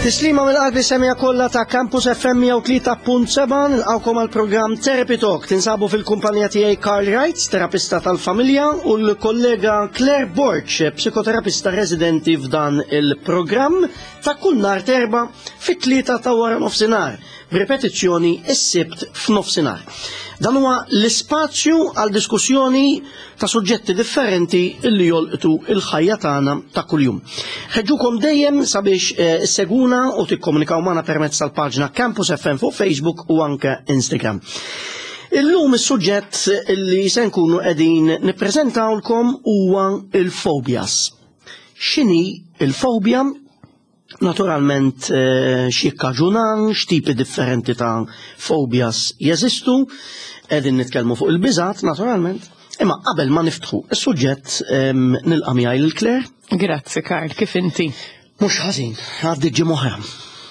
Tislima mill-qalbi semija kollha ta' Campus FM 103.7 nilqgħukom għal programm Therapy Talk. Tinsabu fil-kumpanija tiegħi Carl Wright, terapista tal-familja, u l-kollega Claire Borg, psikoterapista residenti f'dan il-programm ta' kull nhar terba fit-tlieta ta' wara nofsinhar, b'ripetizzjoni s-sibt f'nofsinhar. Dan huwa l-ispazju għal diskussjoni ta' suġġetti differenti li jolqtu il-ħajja tagħna ta' kuljum. Ħeġġukom dejjem sabiex eh, isseguna u tikkomunikaw magħna permezz tal-paġna Campus FM fuq Facebook u anke Instagram. Illum is-suġġett li se nkunu qegħdin nippreżentawlkom huwa il-fobias. X'inhi il-fobja? Naturalment eh, x'jikkaġuna, x'tipi differenti ta' fobias jeżistu, qegħdin nitkellmu fuq il-biżat naturalment. Imma qabel ma niftħu is-suġġett nilqa' miegħi lil Claire. Grazzi Karl, kif inti? Mhux ħażin, għaddi ġimgħa oħra.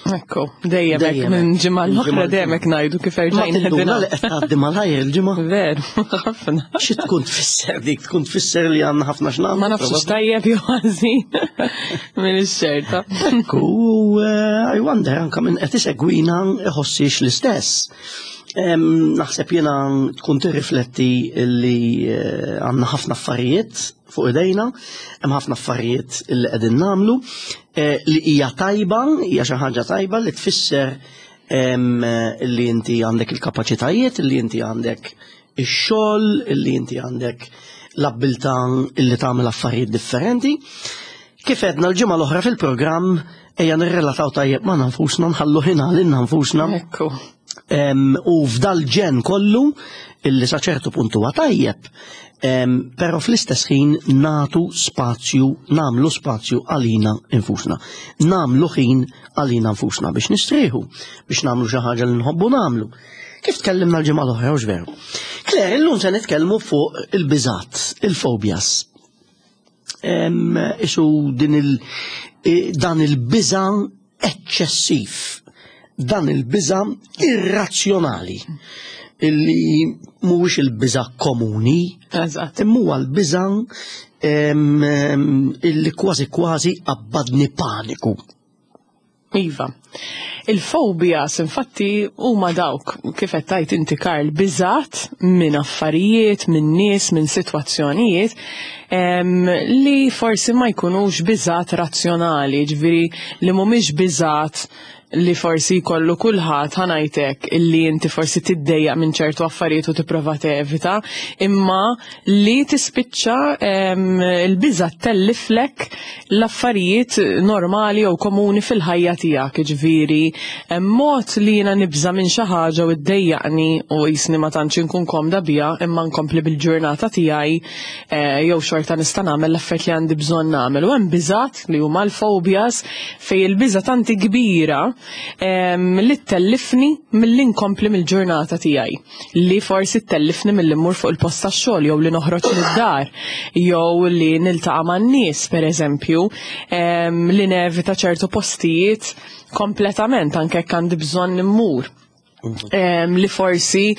Ekku, dejjem hekk minn ġimgħa l-oħra dejjem hekk ngħidu kif erġajna qegħdin. li qed tgħaddi malajr il-ġimgħa. Veru, ħafna. Xi tkun tfisser dik, tkun tfisser li għandna ħafna x'nagħmlu. Ma nafx tajjeb jew ħażin minn ix-xerta. Ekku, eh, I wonder anke minn qed isegwina iħossix l-istess. Naħseb jiena tkun tirrifletti li eh, għandna ħafna affarijiet fuq idejna, hemm ħafna affarijiet li qegħdin nagħmlu eh, li hija tajba, hija xi ħaġa tajba li tfisser li inti għandek il-kapaċitajiet, li inti għandek ix-xogħol, li inti għandek l-abbiltà li tagħmel affarijiet differenti. Kif għedna l-ġimgħa l-oħra fil-programm ejja nirrelataw tajjeb ma' nfusna, nħallu ħin għalina nfusna. Ekku. U f'dal ġen kollu illi sa ċertu punt huwa tajjeb, però fl-istess ħin natu spazju, namlu spazju għalina infusna. Namlu ħin għalina nfusna biex nistrieħu, biex namlu xi ħaġa li nħobbu namlu. Kif tkellimna l-ġimgħa l-oħra, hux veru? Claire, illum se nitkellmu fuq il-biżat, il-fobias. Isu din il dan il-biża eċċessiv, dan il-biża irrazzjonali illi mhuwiex il-biża komuni, imma huwa l-biża illi kważi kważi abbadni paniku. Iva. Il-fobias infatti huma dawk kif qed tgħid inti Karl biżat minn affarijiet, minn nies, minn sitwazzjonijiet li forsi ma jkunux biżat razzjonali, ġifieri li mhumiex biżat li forsi jkollu kulħadd ħanajtek illi inti forsi tiddejjaq minn ċertu affarijiet u tipprova tevita, imma li tispiċċa il-biża telliflek l-affarijiet normali jew komuni fil-ħajja tiegħek, jiġifieri hemm mod li jiena nibża' minn xi ħaġa u ddejjaqni u qisni ma tantx inkun komda biha imma nkompli bil-ġurnata tiegħi eh, jew xorta nista' nagħmel l-affarijiet li għandi bżonn nagħmel. U hemm biżgħat li huma l-fobias fejn il-biża' tanti kbira li ttellifni milli nkompli mill-ġurnata tiegħi. Li forsi ttellifni milli mmur fuq il-post tax-xogħol jew li noħroġ mid-dar jew li niltaqa' man-nies pereżempju, li nevita ċertu postijiet kompletament anke jekk għandi bżonn immur. Li forsi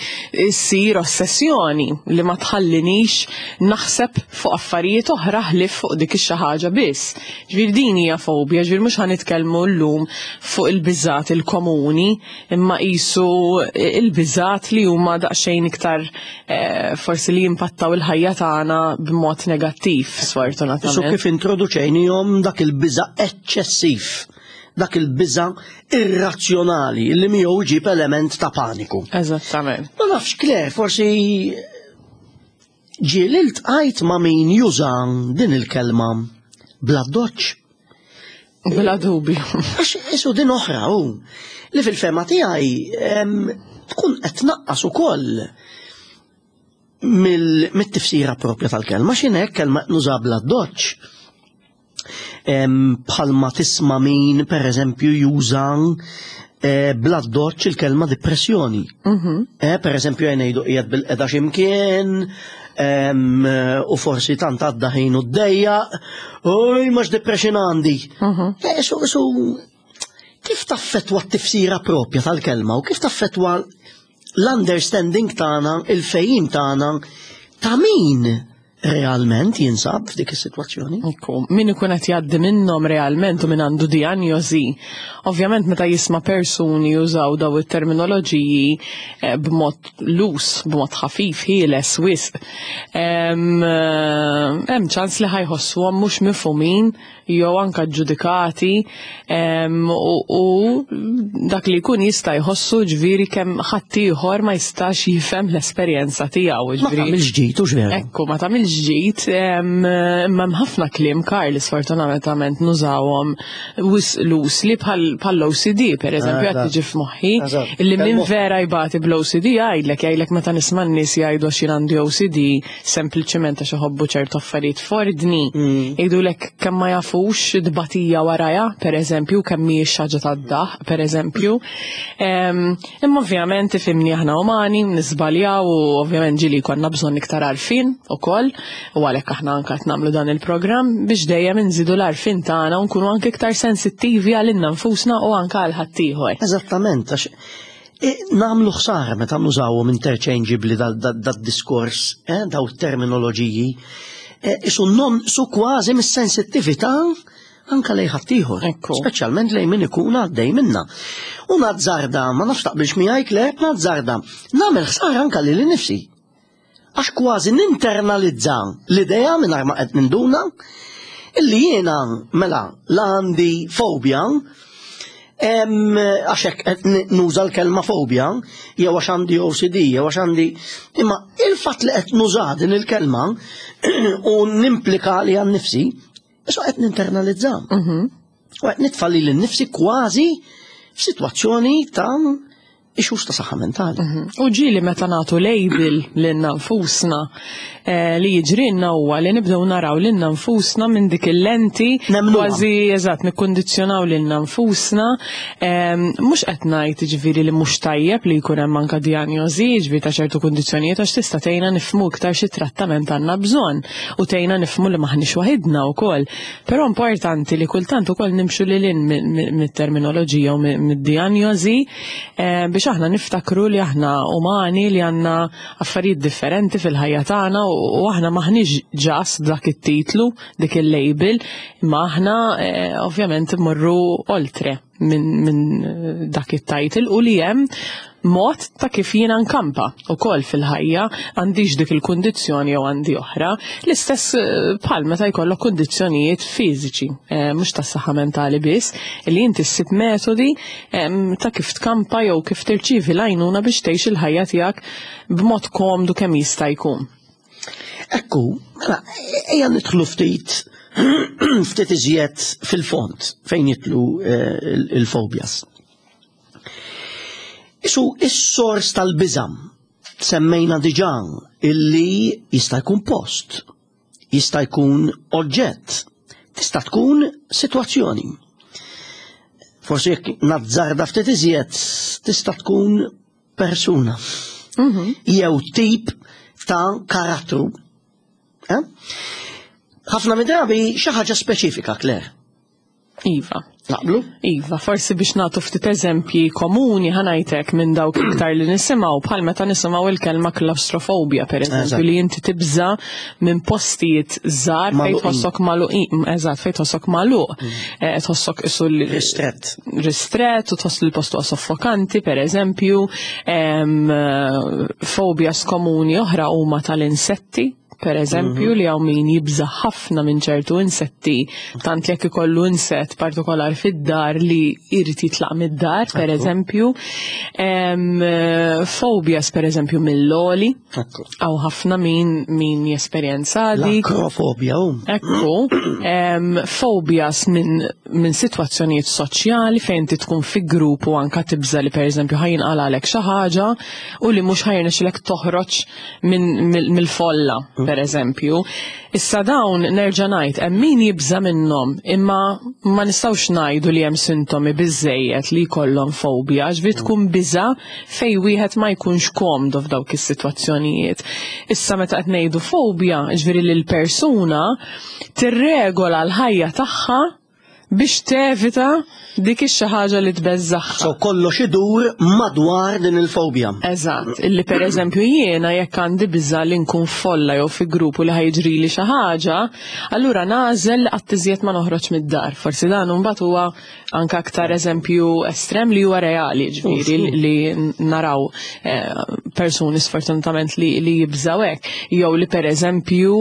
ssir ossessjoni li ma tħallinix naħseb fuq affarijiet oħra ħlief fuq dik ix-xi ħaġa biss. Ġifieri din hija fobja, ġifieri mhux ħa nitkellmu llum fuq il-biżgħat il-komuni, imma qisu il-biżgħat li huma daqsxejn iktar eh, forsi li jimpattaw il-ħajja tagħna b'mod negattiv sfortunatament. Isu kif introduċejnihom dak il-biża' eċċessiv dak il-biża irrazzjonali li miegħu jġib element ta' paniku. Eżattament. Ma nafx Claire, forsi ġieli ltqajt ma' min juża din il-kelma bla doċ. Bla dubju. Għax isu din oħra hu li fil-fema tiegħi tkun qed tnaqqas ukoll mit-tifsira propja tal-kelma x'inhekk kelma nuża bla doċ. Bħalma tisma' min pereżempju juża eh, bla doċ il-kelma depressjoni. Mhm. Eh, per eżempju ngħidu qiegħed bil-qeda x'imkien, u forsi tant għadda ħin u d-dejja, oj max depression għandi. Mhm. Eh, su, su, kif taffetwa t-tifsira propja tal-kelma u kif taffetwa l-understanding tagħna, il-fejjim tagħna ta' min? realment jinsab f'dik is-sitwazzjoni. Ekku, min ikun qed jgħaddi minnhom realment u min għandu dijanjosi, ovvjament meta jisma' persuni jużaw daw it-terminoloġiji eh, b'mod lus, b'mod ħafif, ħieles, wisq, eh, hemm ċans li ħajħossuhom mhux mifhumin jew anka ġudikati u dak li jkun jista' jħossu ġviri kemm ħaddieħor ma jistax jifhem l-esperjenza tiegħu. Ma tagħmilx ġid u ġveru. Ekku, ma tagħmilx ġid, imma hemm ħafna kliem Karl sfortunatament nużawhom lus li bħall-OCD pereżempju qed tiġi f'moħħi li min vera jbati bl-OCD jgħidlek jgħidlek meta nisma' n-nies jgħidu għax jien għandi OCD sempliċement għax iħobbu ċertu affarijiet f'ordni, mm. jgħidulek kemm ma jafux tbatija warajha, pereżempju, kemm mhijiex ħaġa tad-daħ, pereżempju. Imma ovvjament ifimni aħna umani, nisbaljaw u ovvjament ġili konna bżonn iktar għarfien ukoll, u għalhekk aħna anke qed nagħmlu dan il-programm biex dejjem inżidu l-għarfien tagħna u nkunu anke iktar sensittivi għalilna nfusna u anke għal ħaddieħor. Eżattament, għax E, namlu ħsara meta nużawhom interchangeably dad-diskors, eh, daw terminoloġiji, eh, isu non su kważi mis-sensittività anka lej ħaddieħor, speċjalment lej min ikun għaddej minna. U nazzarda, ma nafx taqbilx miegħi le, nazzarda, nagħmel ħsara anka lili nifsi. Għax kważi ninternalizza l-idea mingħajr ma qed ninduna illi jiena mela la għandi fobja għax hekk qed nuża l-kelma fobja jew għax għandi OCD jew għax għandi imma il-fatt li qed nuża din il-kelma u nimplika li għan nifsi, issa qed ninternalizza. Mhm. U qed nitfa' lili nnifsi kważi f'sitwazzjoni ta' issues ta' saħħa mentali. Mhm. U ġieli meta nagħtu label lilna nfusna eh, li jiġrilna huwa li nibdew naraw lilna nfusna minn dik il-lenti kważi eżatt nikkundizzjonaw lilna nfusna. Ehm, mhux qed ngħid ġifieri li mhux tajjeb li jkun hemm anke dijanjosi ġifieri ta' ċertu kundizzjonijiet għax tista' tgħinna nifhmu iktar xi trattament għandna bżonn u tgħinna nifhmu li maħniex waħidna wkoll. Però importanti li kultant ukoll nimxu lil hinn mit-terminoloġija u mid-dijanjosi eh, biex aħna niftakru li aħna umani li għandna affarijiet differenti fil-ħajja tagħna u aħna maħniex ġas dak it-titlu, dik il-label, imma aħna eh, ovvjament immorru oltre minn min eh, dak it-title u li hemm mod ta' kif jiena nkampa ukoll fil-ħajja għandix dik il-kundizzjoni jew għandi oħra. L-istess eh, bħal meta jkollok kundizzjonijiet fiżiċi, eh, mhux tas-saħħa mentali biss, li inti ssib metodi ta' kif tkampa jew kif tirċievi l-għajnuna biex tgħix il-ħajja tiegħek b'mod komdu kemm jista' jkun. Ekku, mela, ejja nidħlu ftit ftit iżjed fil-fond fejn jitlu eh, il-fobias. Isu, is-sors tal-biżam semmejna diġà illi jista' jkun post, jista' jkun oġġett, tista' tkun sitwazzjoni. Forsi jekk nazzarda ftit iżjed tista' tkun persuna mhm. jew tip ta' karattru. Eh? Ħafna mid-drabi xi ħaġa speċifika, Claire. Iva. Naqblu? Iva, forsi biex nagħtu ftit eżempji komuni ħanajtek minn dawk iktar li nisimgħu bħal meta nisimgħu il-kelma claustrofobia pereżempju li inti tibża minn postijiet żgħar fejn tħossok magħluqin, eżatt fejn tħossok magħluq, mm. eh, tħossok isu ristrett. Ristrett u tħoss li l-post huwa soffokanti pereżempju, eh, fobias komuni oħra huma tal-insetti per eżempju, mhm. li hawn min jibża ħafna minn ċertu insetti, tant jekk ikollu insett partikolar fid-dar li jrid jitlaq mid-dar, per eżempju. Fobias, per eżempju, mill-oli. Għaw ħafna min min jesperjenza dik. L-akrofobja. Ekku. Fobias minn min sitwazzjonijiet soċjali fejn ti tkun fi grupp u anka tibża li per eżempju ħajin għalek xi ħaġa u li mhux ħajrnexxilek toħroġ mill-folla, mm. per eżempju. Issa dawn nerġa' ngħid hemm min jibża' minnhom, imma ma nistgħux ngħidu li hemm sintomi biżejjed li jkollhom fobja, ġifieri mm. tkun biża' fej wieħed ma jkunx komdu f'dawk is-sitwazzjonijiet. Issa meta qed ngħidu fobja, ġifieri li l-persuna tirregola l-ħajja tagħha. biex tevita dik ix-xi ħaġa li tbeżżagħha. So kollox idur madwar din il-fobja. Eżatt, illi per eżempju jiena jekk għandi biża li nkun folla jew fi grupp u li ħa jiġrili xi ħaġa, allura nagħżel li qatt iżjed ma noħroġ mid-dar. Forsi dan imbagħad huwa anke aktar eżempju estrem li huwa reali, ġifieri li naraw eh, persuni sfortunatament li, li jibżaw hekk. Jew li per eżempju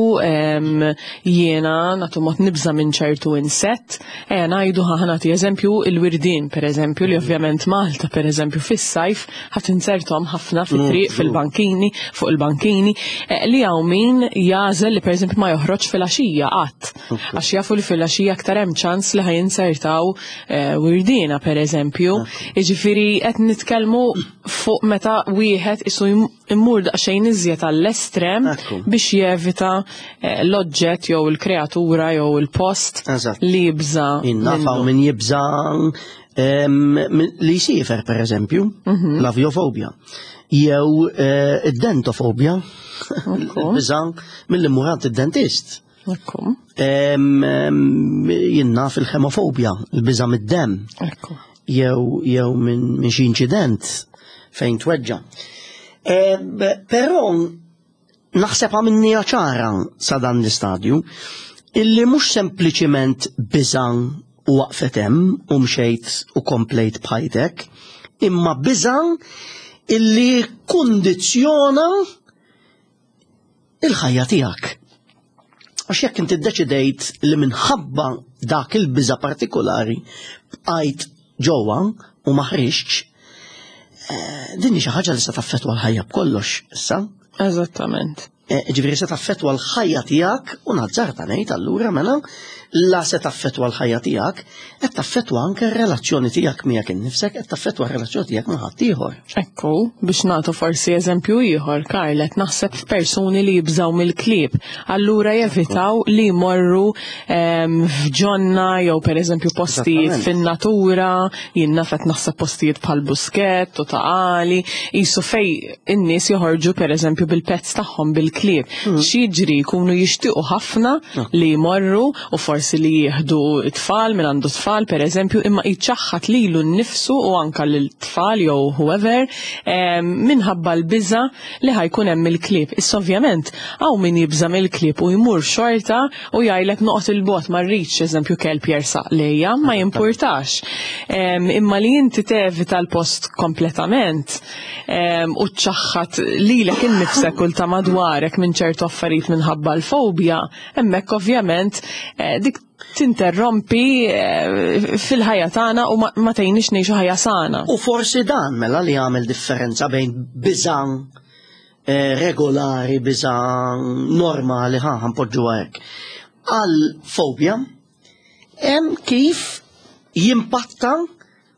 jiena nagħtu mod nibża' minn ċertu insett, ejja ngħidu ħa nagħti eżempju il-wirdien pereżempju li ovvjament Malta pereżempju fis-sajf ħa tinzerthom ħafna fit-triq mm, fil-bankini, fuq il-bankini, eh, li hawn min jagħżel li pereżempju ma joħroġ fil-għaxija qatt. Għax jafu li fil-għaxija aktar hemm ċans li ħa jinzertaw eh, wirdiena pereżempju. Jiġifieri qed nitkellmu fuq meta wieħed isu immur daqsxejn iżjed għall-estrem biex jevita eh, l-oġġett jew il-kreatura jew il-post li jibża. Innafaw min jibża li jsifer per eżempju, mhm. l-avjofobja, jew eh, id-dentofobja, biża mill murant id-dentist. Jien naf il-ħemofobja, il-biża mid-dem. Jew jew minn xi inċident fejn tweġġa. Però naħseb għamilniha ċara sa dan l-istadju illi mhux sempliċiment biża u waqfet hemm u mxejt u komplejt b'ħajtek, imma biża illi kundizzjona il-ħajja tiegħek. Għax jekk inti ddeċidejt li minħabba dak il-biża partikolari bqajt ġewwa u ma ħriġtx, eh, din hi xi ħaġa li se taffettwa l-ħajja b'kollox issa. Eżattament. Eh, ġifieri se taffettwa l-ħajja tiegħek u nazzarta ngħid allura mela la se taffettwa l-ħajja tiegħek, qed taffettwa anke r-relazzjoni tiegħek miegħek innifsek, qed taffettwa r-relazzjoni tiegħek ma' ħaddieħor. Ekku, biex nagħtu forsi eżempju ieħor, Karl, qed naħseb f'persuni li jibżgħu mill-klieb. Allura jevitaw li jmorru ehm, f'ġonna jew pereżempju postijiet fin-natura, jien naf qed naħseb postijiet bħal Buskett u Ta' Qali, qisu fej in-nies joħorġu pereżempju bil-pets tagħhom bil-klieb. Mm. X'jiġri jkunu jixtiequ ħafna li jmorru u forsi li jieħdu t-tfal minn għandu tfal pereżempju imma jċaħħad lilu nnifsu u anka lil-tfal jew whoever ehm, minħabba l-biża li ħajkun hemm il-klieb. Issa ovvjament hawn min jibża' mill-klieb u jmur xorta u jgħidlek noqgħod il-bogħod ma rridx eżempju kelb jersaq lejja, ma jimpurtax. Ehm, imma li inti tevita l-post kompletament ehm, u ċaħħad lilek innifsek u ta' madwarek minn ċertu affarijiet minħabba l-fobja, hemmhekk ovvjament eh, dik tinterrompi eh, fil-ħajja tagħna u ma tgħinix ngħixu ħajja sana. U forsi dan mela li jagħmel differenza bejn biżan eh, regolari, biżan normali, ħa ħanpoġġu hekk. Għal fobja hemm kif jimpatta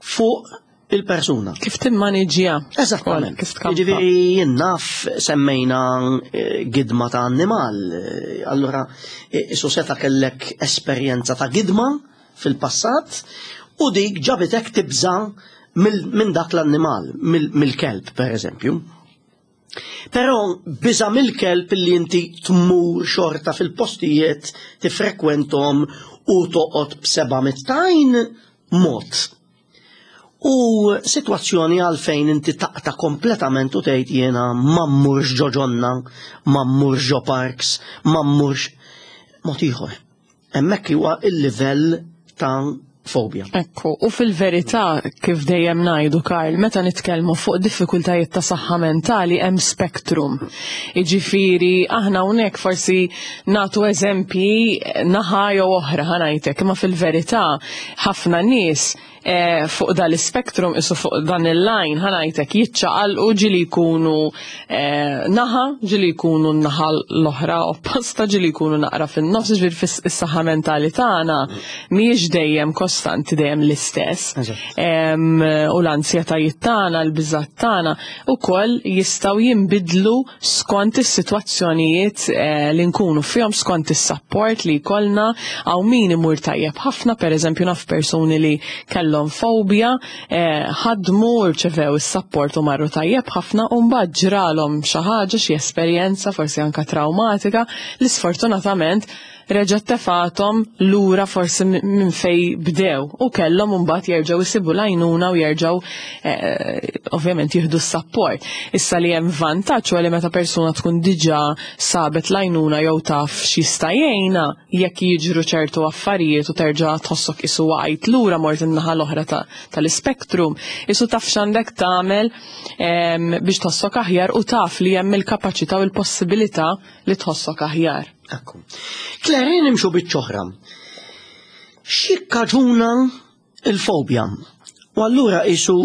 fuq il-persuna. Kif timmaniġġja. Eżattament. Kif tkampa. Jiġifieri jien naf semmejna eh, gidma ta' annimal. Eh, allura eh, isu seta' kellek esperjenza ta' gidma fil-passat u dik ġabitek tibża minn dak l-annimal, mill-kelb per eżempju. Però biża mill-kelb li inti tmur xorta fil-postijiet tifrekwentom u toqgħod b'seba' mittajn mod. U sitwazzjoni għalfejn inti taqta' kompletament u tgħid jiena ma mmurx ġo ġonna, ma mmurx ġo parks, ma mmurx mod ieħor. Hemmhekk huwa il-livell ta' fobja. Ekku, u fil-verità kif dejjem ngħidu Karl, meta nitkellmu fuq diffikultajiet ta' saħħa mentali hemm spektrum. Jiġifieri aħna hawnhekk forsi nagħtu eżempji naħa jew oħra ħa ngħidlek, imma fil-verità ħafna nies eh, fuq dal-spektrum isu fuq dan il-line ħa ngħidlek jiċċaqalqu ġili jkunu eh, naħa, ġili jkunu n-naħa l-oħra opposta, ġili jkunu naqra fin-nofs, ġifieri fis-saħħa mentali tagħna mhijiex dejjem kostanti dejjem l-istess. U l-ansjetajiet tagħna, l-biżgħat tagħna ukoll jistgħu jinbidlu skont is-sitwazzjonijiet eh, li nkunu fihom, skont is-sapport li jkollna, hawn min imur tajjeb ħafna, pereżempju naf persuni li kellhom fobja, eh, ħadmu rċevew is-sapport u marru tajjeb ħafna u mbagħad ġralhom xi ħaġa, xi esperjenza forsi anka traumatika li sfortunatament reġgħet tefgħathom lura forsi minn fejn bdew u kellhom imbagħad jerġgħu jsibu l-għajnuna u jerġgħu ovvjament jieħdu s-sapport. Issa li hemm vantaġġ huwa li meta persuna tkun diġà sabet l-għajnuna jew taf x'jista' jgħinha jekk jiġru ċertu affarijiet u terġa' tħossok qisu waqajt lura mort in-naħa l-oħra tal-ispektrum, qisu taf x'għandek tagħmel biex tħossok aħjar u taf li hemm il-kapaċità u l-possibilità li tħossok aħjar. Ekku. Claire, nimxu biċ-ċoħra. X'jikkaġuna il-fobja? U allura isu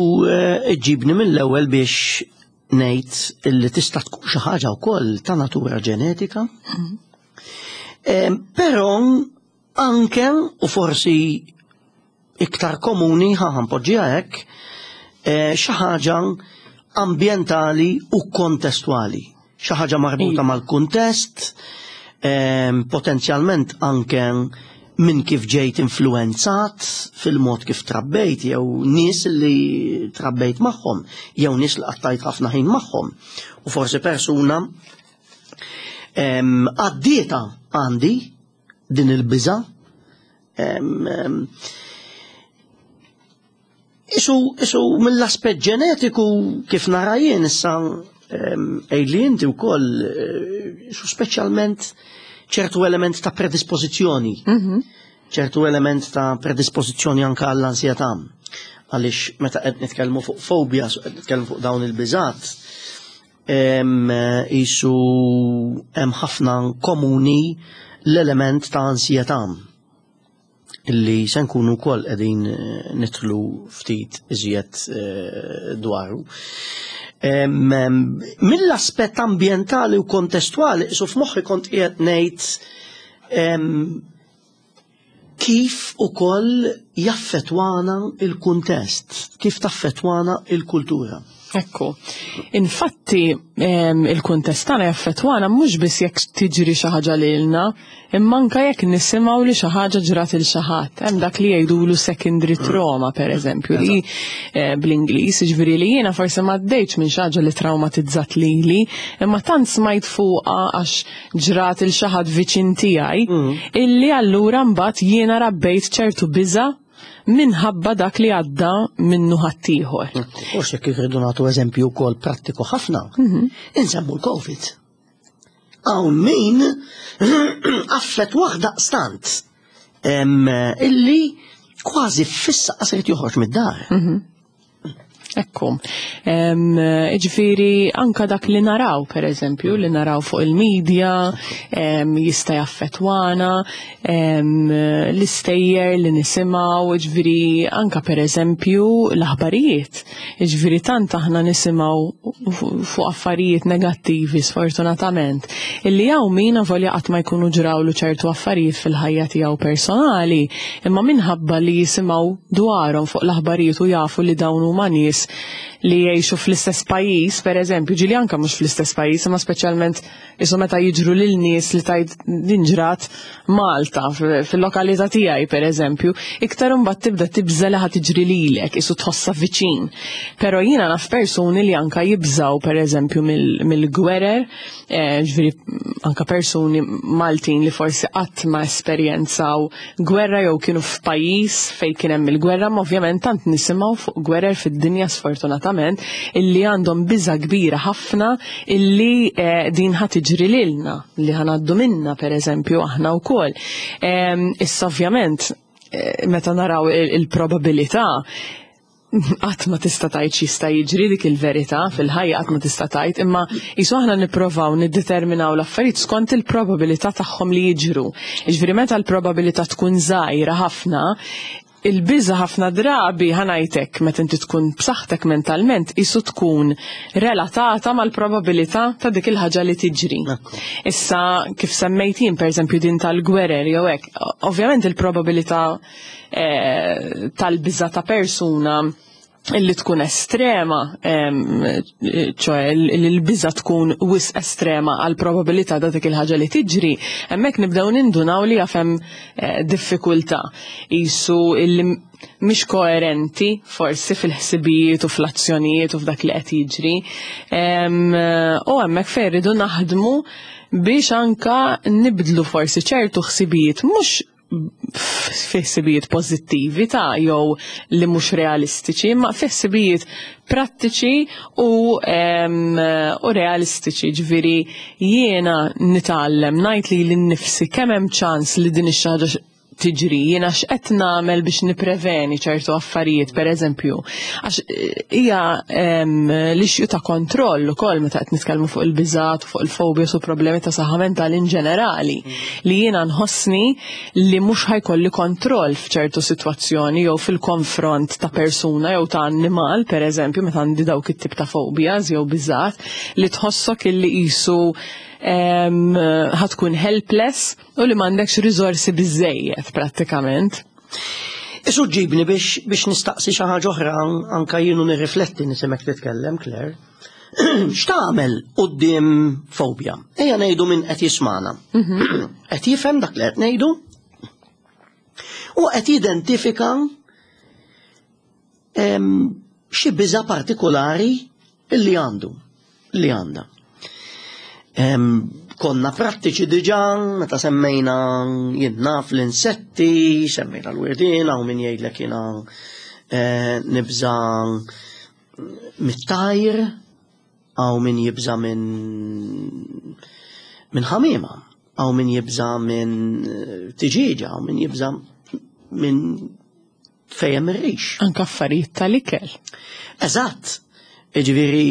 ġibni mill-ewwel biex ngħid illi tista' tkun xi ħaġa wkoll ta' natura ġenetika. Però anke u forsi iktar komuni ħa npoġġiha hekk, xi ħaġa ambjentali u kontestwali. Xi ħaġa marbuta mal-kuntest, potenzjalment anke minn kif ġejt influenzat fil-mod kif trabbejt jew nies li trabbejt magħhom, jew nies li qattajt ħafna ħin magħhom. U forsi persuna għaddieta għandi din il-biża. Isu mill-aspett ġenetiku kif nara jien issa għidli inti wkoll isu speċjalment ċertu element ta' predispożizzjoni. Ċertu element ta' predispożizzjoni anke għall-ansjetà. Għaliex meta qed nitkellmu fuq fobia, qed nitkellmu fuq dawn il-biżat, isu hemm ħafna komuni l-element ta' ansjetà illi se nkunu wkoll qegħdin nidħlu ftit iżjed dwaru. Mill-aspett ambjentali u kontestwali, isu f'moħħi kont qiegħed ngħid kif ukoll jaffettwana il-kuntest, kif taffettwana il-kultura. Ekku. Infatti, il-kuntest tagħna jaffettwana mhux biss jekk tiġri xi ħaġa lilna, imma anke jekk nisimgħu li xi ħaġa ġrat il xi ħadd. Hemm dak li jgħidulu secondary trauma, pereżempju, li bl-Ingliż, jiġifieri li jiena forsi ma għaddejtx minn xi ħaġa li traumatizzat lili, imma tant smajt fuqha għax ġrat il xi ħadd viċin tiegħi, illi allura mbagħad jiena rabbejt ċertu biża' minħabba dak li għadda minnu ħaddieħor. Forsi jekk irridu nagħtu eżempju wkoll prattiku ħafna, insemmu l-Covid. Hawn min affett waħda stant illi kważi fissa qasret joħroġ mid-dar. Ekku. Ġifieri anka dak li naraw, per eżempju, li naraw fuq il-medja, jista' jaffettwana, l-istejjer li nisimgħu, ġifieri anka per eżempju l-aħbarijiet. Ġifieri tant aħna nisimgħu fuq affarijiet negattivi sfortunatament, illi hawn min avolja qatt ma jkunu ġrawlu ċertu affarijiet fil-ħajja tiegħu personali, imma minħabba li jisimgħu dwarhom fuq l-aħbarijiet u jafu li dawn huma nies li jgħixu fl-istess pajjiż, per eżempju, ġieli anka mhux fl-istess pajjiż, imma speċjalment isu meta jiġru lil nies li tajt din ġrat Malta fil-lokalità tiegħi, per eżempju, iktar imbagħad tibda tibża' li ħa tiġri lilek, isu tħossha viċin. Però jiena naf persuni li anka jibżaw, per eżempju, mill-gwerer, ġifieri anka persuni Maltin li forsi qatt ma esperjenzaw gwerra jew kienu f'pajjiż fejn kien hemm il-gwerra, ma ovvjament tant nisimgħu fuq gwerer fid-dinja sfortunatament illi għandhom biża' kbira ħafna illi din ħa tiġri lilna, li ħa ngħaddu minna per eżempju aħna wkoll. Issa ovvjament meta naraw il-probabilità qatt ma tista' tgħid x'jista' jiġri, dik il-verità fil-ħajja qatt ma tista' tgħid, imma qisu aħna nipprovaw niddeterminaw l-affarijiet skont il-probabilità tagħhom li jiġru. Jiġifieri meta l-probabilità tkun żgħira ħafna, il-biża' ħafna drabi ħanajtek meta inti tkun b'saħħtek mentalment qisu tkun relatata mal-probabilità ta' dik il-ħaġa li tiġri. Issa kif semmejt jien pereżempju din tal-gwerer jew hekk, ovvjament il-probabilità tal-biża' ta' persuna Illi tkun estrema, ċoè li l-biża tkun wisq estrema għal probabilità ta' dik il-ħaġa li tiġri, hemmhekk nibdew nindunaw li jaf hemm diffikultà. Qisu illi mhix koerenti forsi fil-ħsibijiet u fl-azzjonijiet u f'dak li qed jiġri. U hemmhekk fejn irridu naħdmu biex anka nibdlu forsi ċertu ħsibijiet, mhux fi ħsibijiet pożittivi ta' jew li mhux realistiċi, imma fi ħsibijiet prattiċi u realistiċi. Ġifieri jiena nitgħallem ngħid lili nnifsi kemm hemm ċans li din ix-xi ħaġa tiġri, jiena x'qed nagħmel biex nipreveni ċertu affarijiet, per eżempju. Għax hija l-issue ta' kontroll ukoll meta qed nitkellmu fuq il-biżat, fuq il-phobias u problemi ta' saħħa mentali in ġenerali, li jiena nħossni li mhux ħa jkolli kontroll f'ċertu sitwazzjoni jew fil-konfront ta' persuna jew ta' annimal, per eżempju, meta għandi dawk it-tip ta' phobias jew biżat, li tħossok illi qisu ħa tkun helpless u li m'għandekx riżorsi biżejjed prattikament. Isu ġibni biex nistaqsi xi ħaġa oħra, anka jienu nirrifletti nisimek titkellem, Claire. X'tagħmel quddiem fobja? Ejja ngħidu min qed jismana. Qed jifhem dak li qed ngħidu u qed jidentifika xi biża partikolari illi għandu, li għandha. Konna prattiċi diġà meta semmejna jien naf l-insetti, semmejna l-wirdien, hawn min jgħidlek jiena nibża mit-tajr, hawn min jibża minn ħamiema, hawn min jibża minn tiġieġa, hawn min jibża minn fejn ir-rix. Anka affarijiet tal-ikel. Eżatt. Ġifieri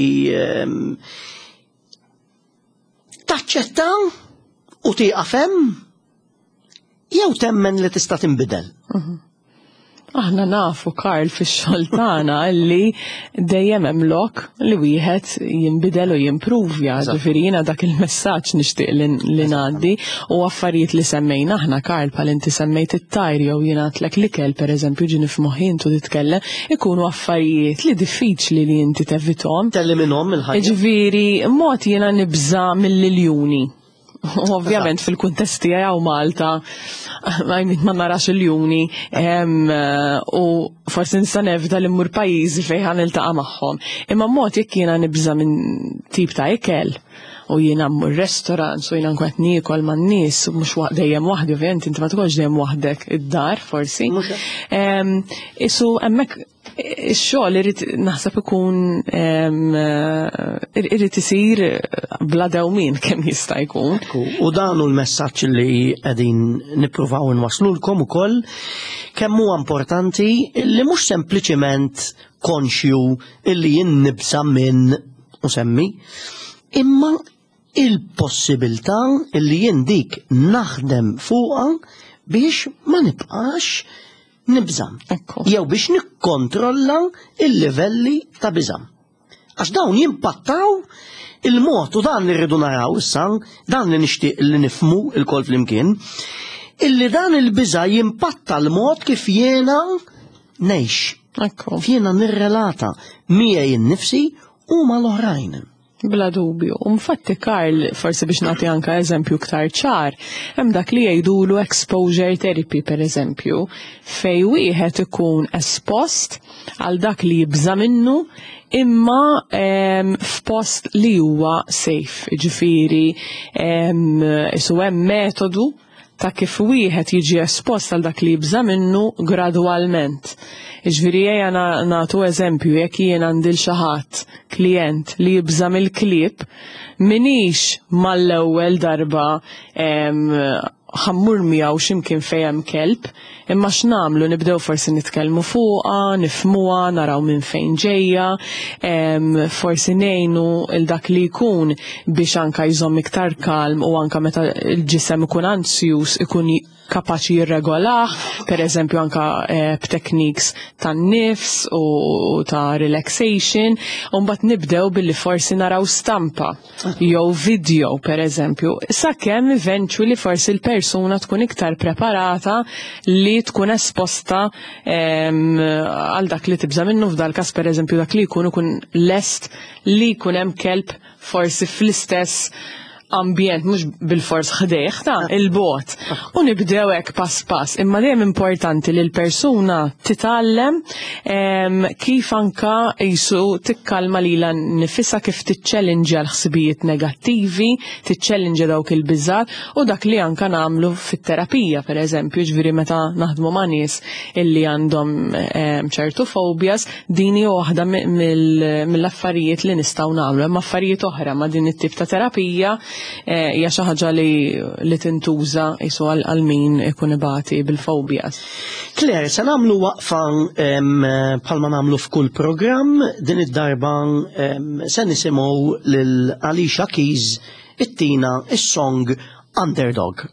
taċċetta u tieqaf hemm jew temmen li tista' tinbidel. Aħna nafu, Karl, fix-xogħol tagħna li dejjem hemm lok li wieħed jinbidel u jimpruvja. Ġifieri jiena dak il-messaġġ nixtieq li ngħaddi u affarijiet li semmejna aħna, Karl, bħal inti semmejt it-tajr jew jiena għedtlek l-ikel, pereżempju, ġieni f'moħħi intu titkellem, ikunu affarijiet li diffiċli li inti tevithom. Telliminhom il-ħajja. Ġifieri mod jiena nibża mill-iljuni. U ovvjament fil-kuntest tiegħi hawn Malta, I mean, ma narax il-ljuni, u forsi nista' nevita li mmur pajjiżi fejn ħa niltaqa' magħhom. Imma mod jekk jiena nibża minn tip ta' ikel u jiena mmur restaurant u jiena nkun qed niekol man-nies u mhux dejjem waħdi, ovvjament inti ma tkunx dejjem waħdek id-dar forsi. Mhux hekk. Isu hemmhekk ix-xogħol irid naħseb ikun irid isir bla dewmien kemm jista' jkun. Ekku, u dan hu l-messaġġ li qegħdin nippruvaw inwaslulkom ukoll, kemm huwa importanti li mhux sempliċiment konxju illi jien nibża minn u semmi, imma il-possibilità illi jien dik naħdem fuqha biex ma nibqax nibża. Jew biex nikkontrolla il-livelli ta' biża. Għax dawn jimpattaw il-mod, u dan li rridu naraw issa, dan li nixtieq li nifmu il-kol flimkien, illi dan il-biża jimpatta l-mod kif jiena ngħix. Kif jiena nirrelata miegħi nnifsi u mal-oħrajn. Bla dubju. U infatti, Karl, forsi biex nagħti anka eżempju iktar ċar, hemm dak li jgħidulu exposure therapy, per eżempju, fej wieħed ikun espost għal dak li jibża minnu imma f'post li huwa safe. Ġifieri, isu hemm metodu ta' kif wieħed jiġi espost għal dak li jibża minnu gradwalment. Ġifieri ejja nagħtu eżempju, jekk jien għandi l xi ħadd klient li jibża mill-klieb, minix mal-ewwel darba ħa mmur miegħu x'imkien fejn hemm kelb, imma x'nagħmlu, nibdew forsi nitkellmu fuqha, nifhmuha, naraw minn fejn ġejja, forsi ngħinu il dak li jkun biex anka jżomm iktar kalm u anka meta l-ġisem ikun ansjus ikun kapaċi jirregolah, per eżempju anka eh, b'techniques tan-nifs u ta' relaxation, u mbagħad nibdew billi forsi naraw stampa jew video per eżempju, sakemm eventually forsi l-persuna tkun iktar preparata li tkun esposta għal dak li tibża minnu f'dal każ per eżempju dak li jkun ikun lest li jkun hemm kelb forsi fl-istess ambjent mhux bilfors ħdejh ta' il-bot. U nibdew hekk pass pass, imma dejjem importanti li l-persuna titgħallem kif anka jisu tikkalma lilha nifisha kif tiċċellinġja l-ħsibijiet negattivi, tiċċellinġja dawk il-biżgħat u dak li anka nagħmlu fit-terapija pereżempju, ġifieri meta naħdmu ma' nies illi għandhom ċertu phobias, Din hi waħda mill-affarijiet li nistgħu nagħmlu. Hemm affarijiet oħra ma' din it-tip ta' terapija eh, hija xi ħaġa li tintuża qisu għal min ikun ibati bil-phobias. Claire, se nagħmlu waqfa bħalma nagħmlu f'kull programm, din id-darba se nisimgħu lil Alicia Keys ittina is-song Underdog.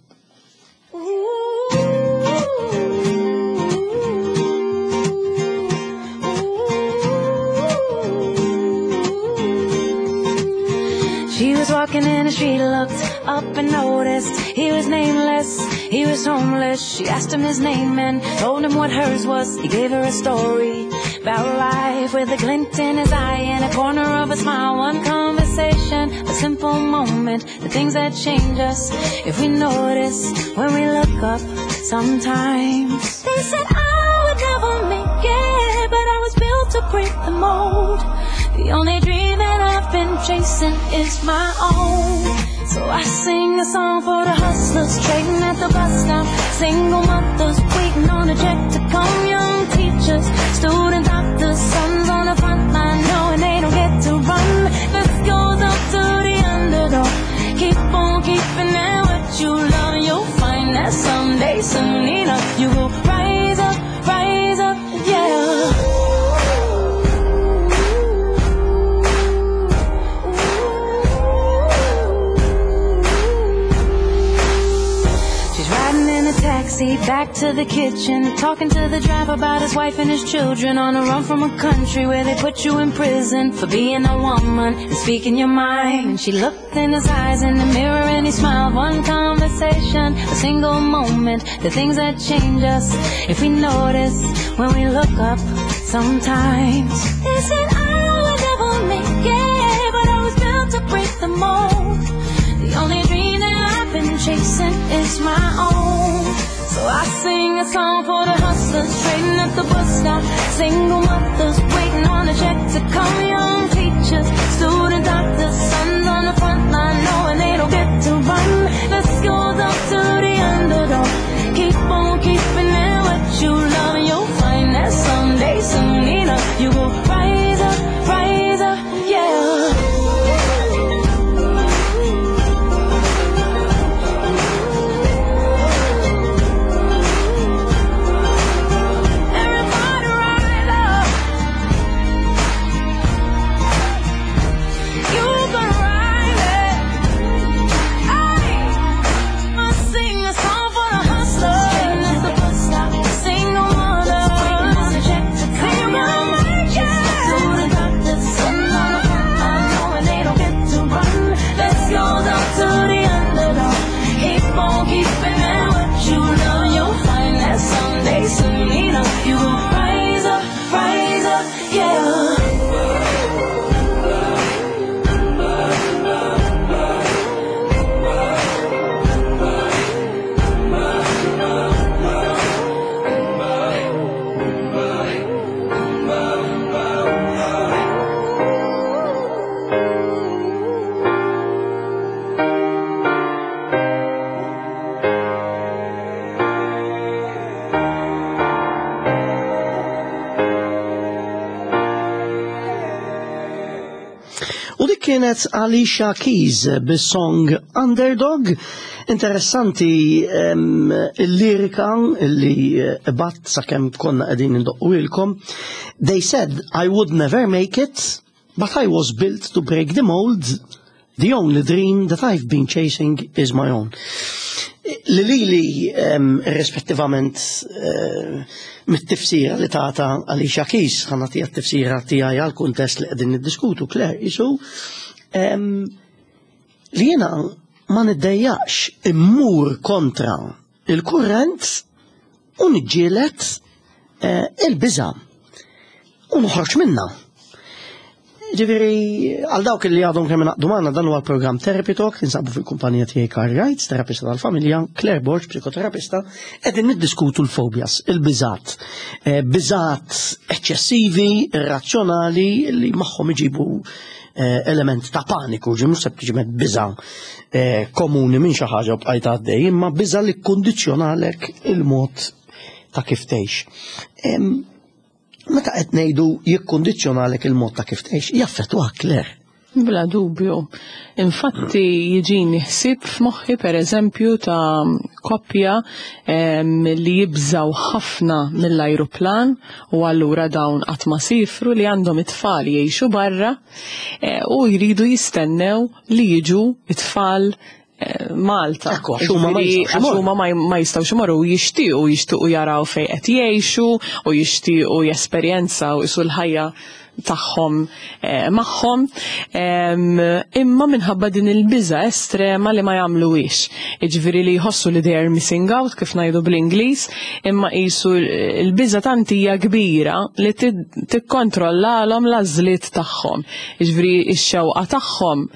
She was walking in the street, looked up and noticed he was nameless, he was homeless. She asked him his name and told him what hers was. He gave her a story about life with a glint in his eye and a corner of a smile. One conversation, a simple moment, the things that change us if we notice when we look up sometimes. They said I would never make it, but I was built to break the mold. The only dream that I've been chasing is my own. So I sing a song for the hustlers trading at the bus stop, single mothers waiting on a check to come, young teachers, student doctors, sons on the front line knowing they don't get to run. This goes up to the underdog. Keep on keeping at what you love, you'll find that someday, soon enough, you will rise up, rise up, yeah. She's riding in a taxi back to the kitchen, talking to the driver about his wife and his children on a run from a country where they put you in prison for being a woman and speaking your mind. And she looked in his eyes in the mirror and he smiled. One conversation, a single moment, the things that change us if we notice when we look up sometimes. They said I would never make it, but I was built to break the mold. The only dream that I've been chasing is my own. So I sing a song for the hustlers trading at the bus stop, single mothers waiting on a check to come, young teachers, student doctors, sons on the front line knowing they don't get to run. This goes up to the underdog. Keep on keeping it what you love, you'll find that someday, soon enough, you will rise up, rise up, yeah. Everybody rise up. You gonna rise up. I sing a song for the hustlers. At the bus stop, single mothers waiting on a check to come. Student doctors, sitting on the front line, knowing they don't get to run. This goes out to the underdog. Keep on keeping at what you love. You'll find that someday, soon enough, you will rise up, rise up, yeah. U dik kienet Alicia Keys bis-song Underdog. Interessanti il-lirika li eh, bat sakemm konna qegħdin indoqqu They said I would never make it, but I was built to break the mold. The only dream that I've been chasing is my own. Li lili irrispettivament eh, mit-tifsira li tata Alicia Keys, ħa nagħtiha t-tifsira tiegħi għal-kuntest li qegħdin niddiskutu, Claire, isu li jiena ma niddejjaqx immur kontra il-kurrent u niġġieled eh, il-biża' u noħroġ minna. Ġifieri, għal dawk li għadhom kemm ingħaqdu magħna dan huwa l-programm Therapy Talk, tinsabu fil-kumpanija tiegħi Carl Wright, terapista tal-familja, Claire Borg, psikoterapista, qegħdin niddiskutu l-fobias, il-biżat. Eh, biżat eċċessivi, irrazzjonali li magħhom iġibu eh, element ta' paniku, ġi mhux sempliċement biża eh, komuni minn xi ħaġa u bqajt għaddej, imma biża li kkundizzjonalek il-mod ta' kif tgħix. Meta qed ngħidu jikkundizzjonalek il-mod ta' kif tgħix, jaffettwak Claire. Bla dubju. Infatti jiġini ħsieb f'moħħi pereżempju ta' koppja li jibżaw ħafna mill-ajruplan u allura dawn qatt ma sifru li għandhom it-tfal jgħixu barra eh, u jridu jistennew li jiġu it-tfal Malta. Ekku, għax huma ma Ġifieri, jistgħux għax imorru. huma ma ma jistgħux imorru u jixtiequ jixtiequ jaraw fejn qed jgħixu u jixtiequ jesperjenzaw isu l-ħajja tagħhom eh, magħhom. Imma minħabba din il-biża estrema li ma jagħmluhiex. Jiġifieri li jħossu li they are missing out kif ngħidu bl-Ingliż, imma qisu l-biża tant hija kbira li tikkontrollalhom l-għażliet tagħhom. Jiġifieri x-xewqa tagħhom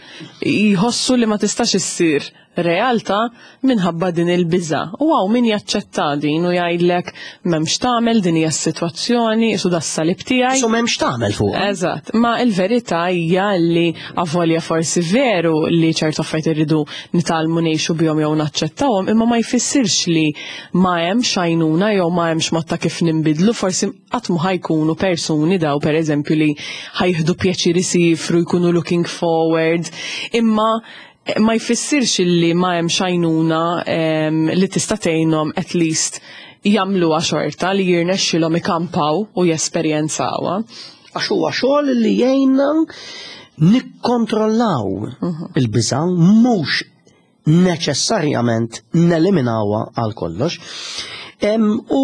jħossu li ma tistax issir realtà minħabba din il-biża. U hawn min jaċċetta din u jgħidlek m'hemmx tagħmel din hija s-sitwazzjoni, isu das-salib tiegħi. Isu m'hemmx tagħmel fuq. Eżatt, ma il-verità hija li avolja forsi veru li ċertu affarijiet irridu nitgħallmu ngħixu bihom jew naċċettawhom, imma ma jfissirx li ma hemmx għajnuna jew ma hemmx mod ta' kif ninbidlu, forsi qatt mu ħa jkunu persuni daw pereżempju li ħa jieħdu pjaċir isifru jkunu looking forward, imma ma jfissirx li ma hemmx għajnuna li tista' tgħinhom at least jagħmluha xorta li jirnexxilhom ikampaw u jesperjenzawha. Għax huwa xogħol li jgħinna nikkontrollaw il-biża' mhux neċessarjament neliminawha għal kollox. U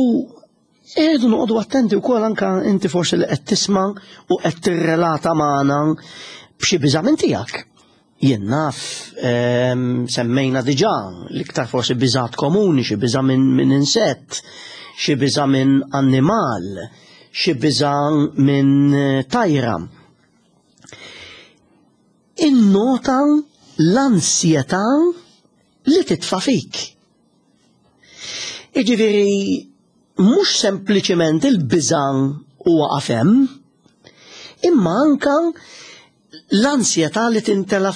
irridu noqogħdu attenti wkoll anka inti forsi li qed tisma' u qed tirrelata magħna b'xi biża' minn tiegħek. Jien naf semmejna diġà l-iktar forsi biżat komuni, xi biża' minn min insett, xi biża' minn annimal, xi biża' minn tajra. Innota l-ansjetà li titfa' fik. Jiġifieri mhux sempliċement il-biża' huwa għafem, imma anka l-ansjetà li tintela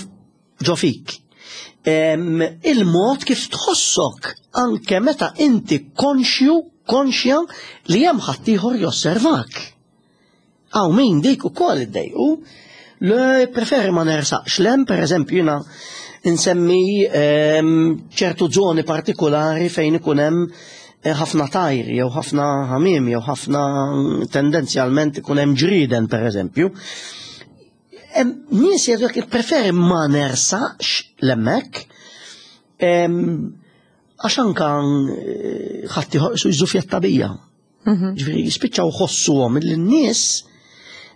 ġo fik. Il-mod kif tħossok anke meta inti konxju, konxja li hemm ħaddieħor josservak. Hawn min dik ukoll iddejqu, le preferi ma nersaqx lem, per eżempju jiena nsemmi ċertu żoni partikolari fejn ikun hemm eh, ħafna tajr jew ħafna ħamiem jew ħafna tendenzjalment ikun hemm ġrieden per eżempju. Nies jgħidu jekk preferi ma nersaqx lemmek għax anka eh, ħadd su jżufjetta bija. Ġifieri jispiċċaw ħossuhom li n-nies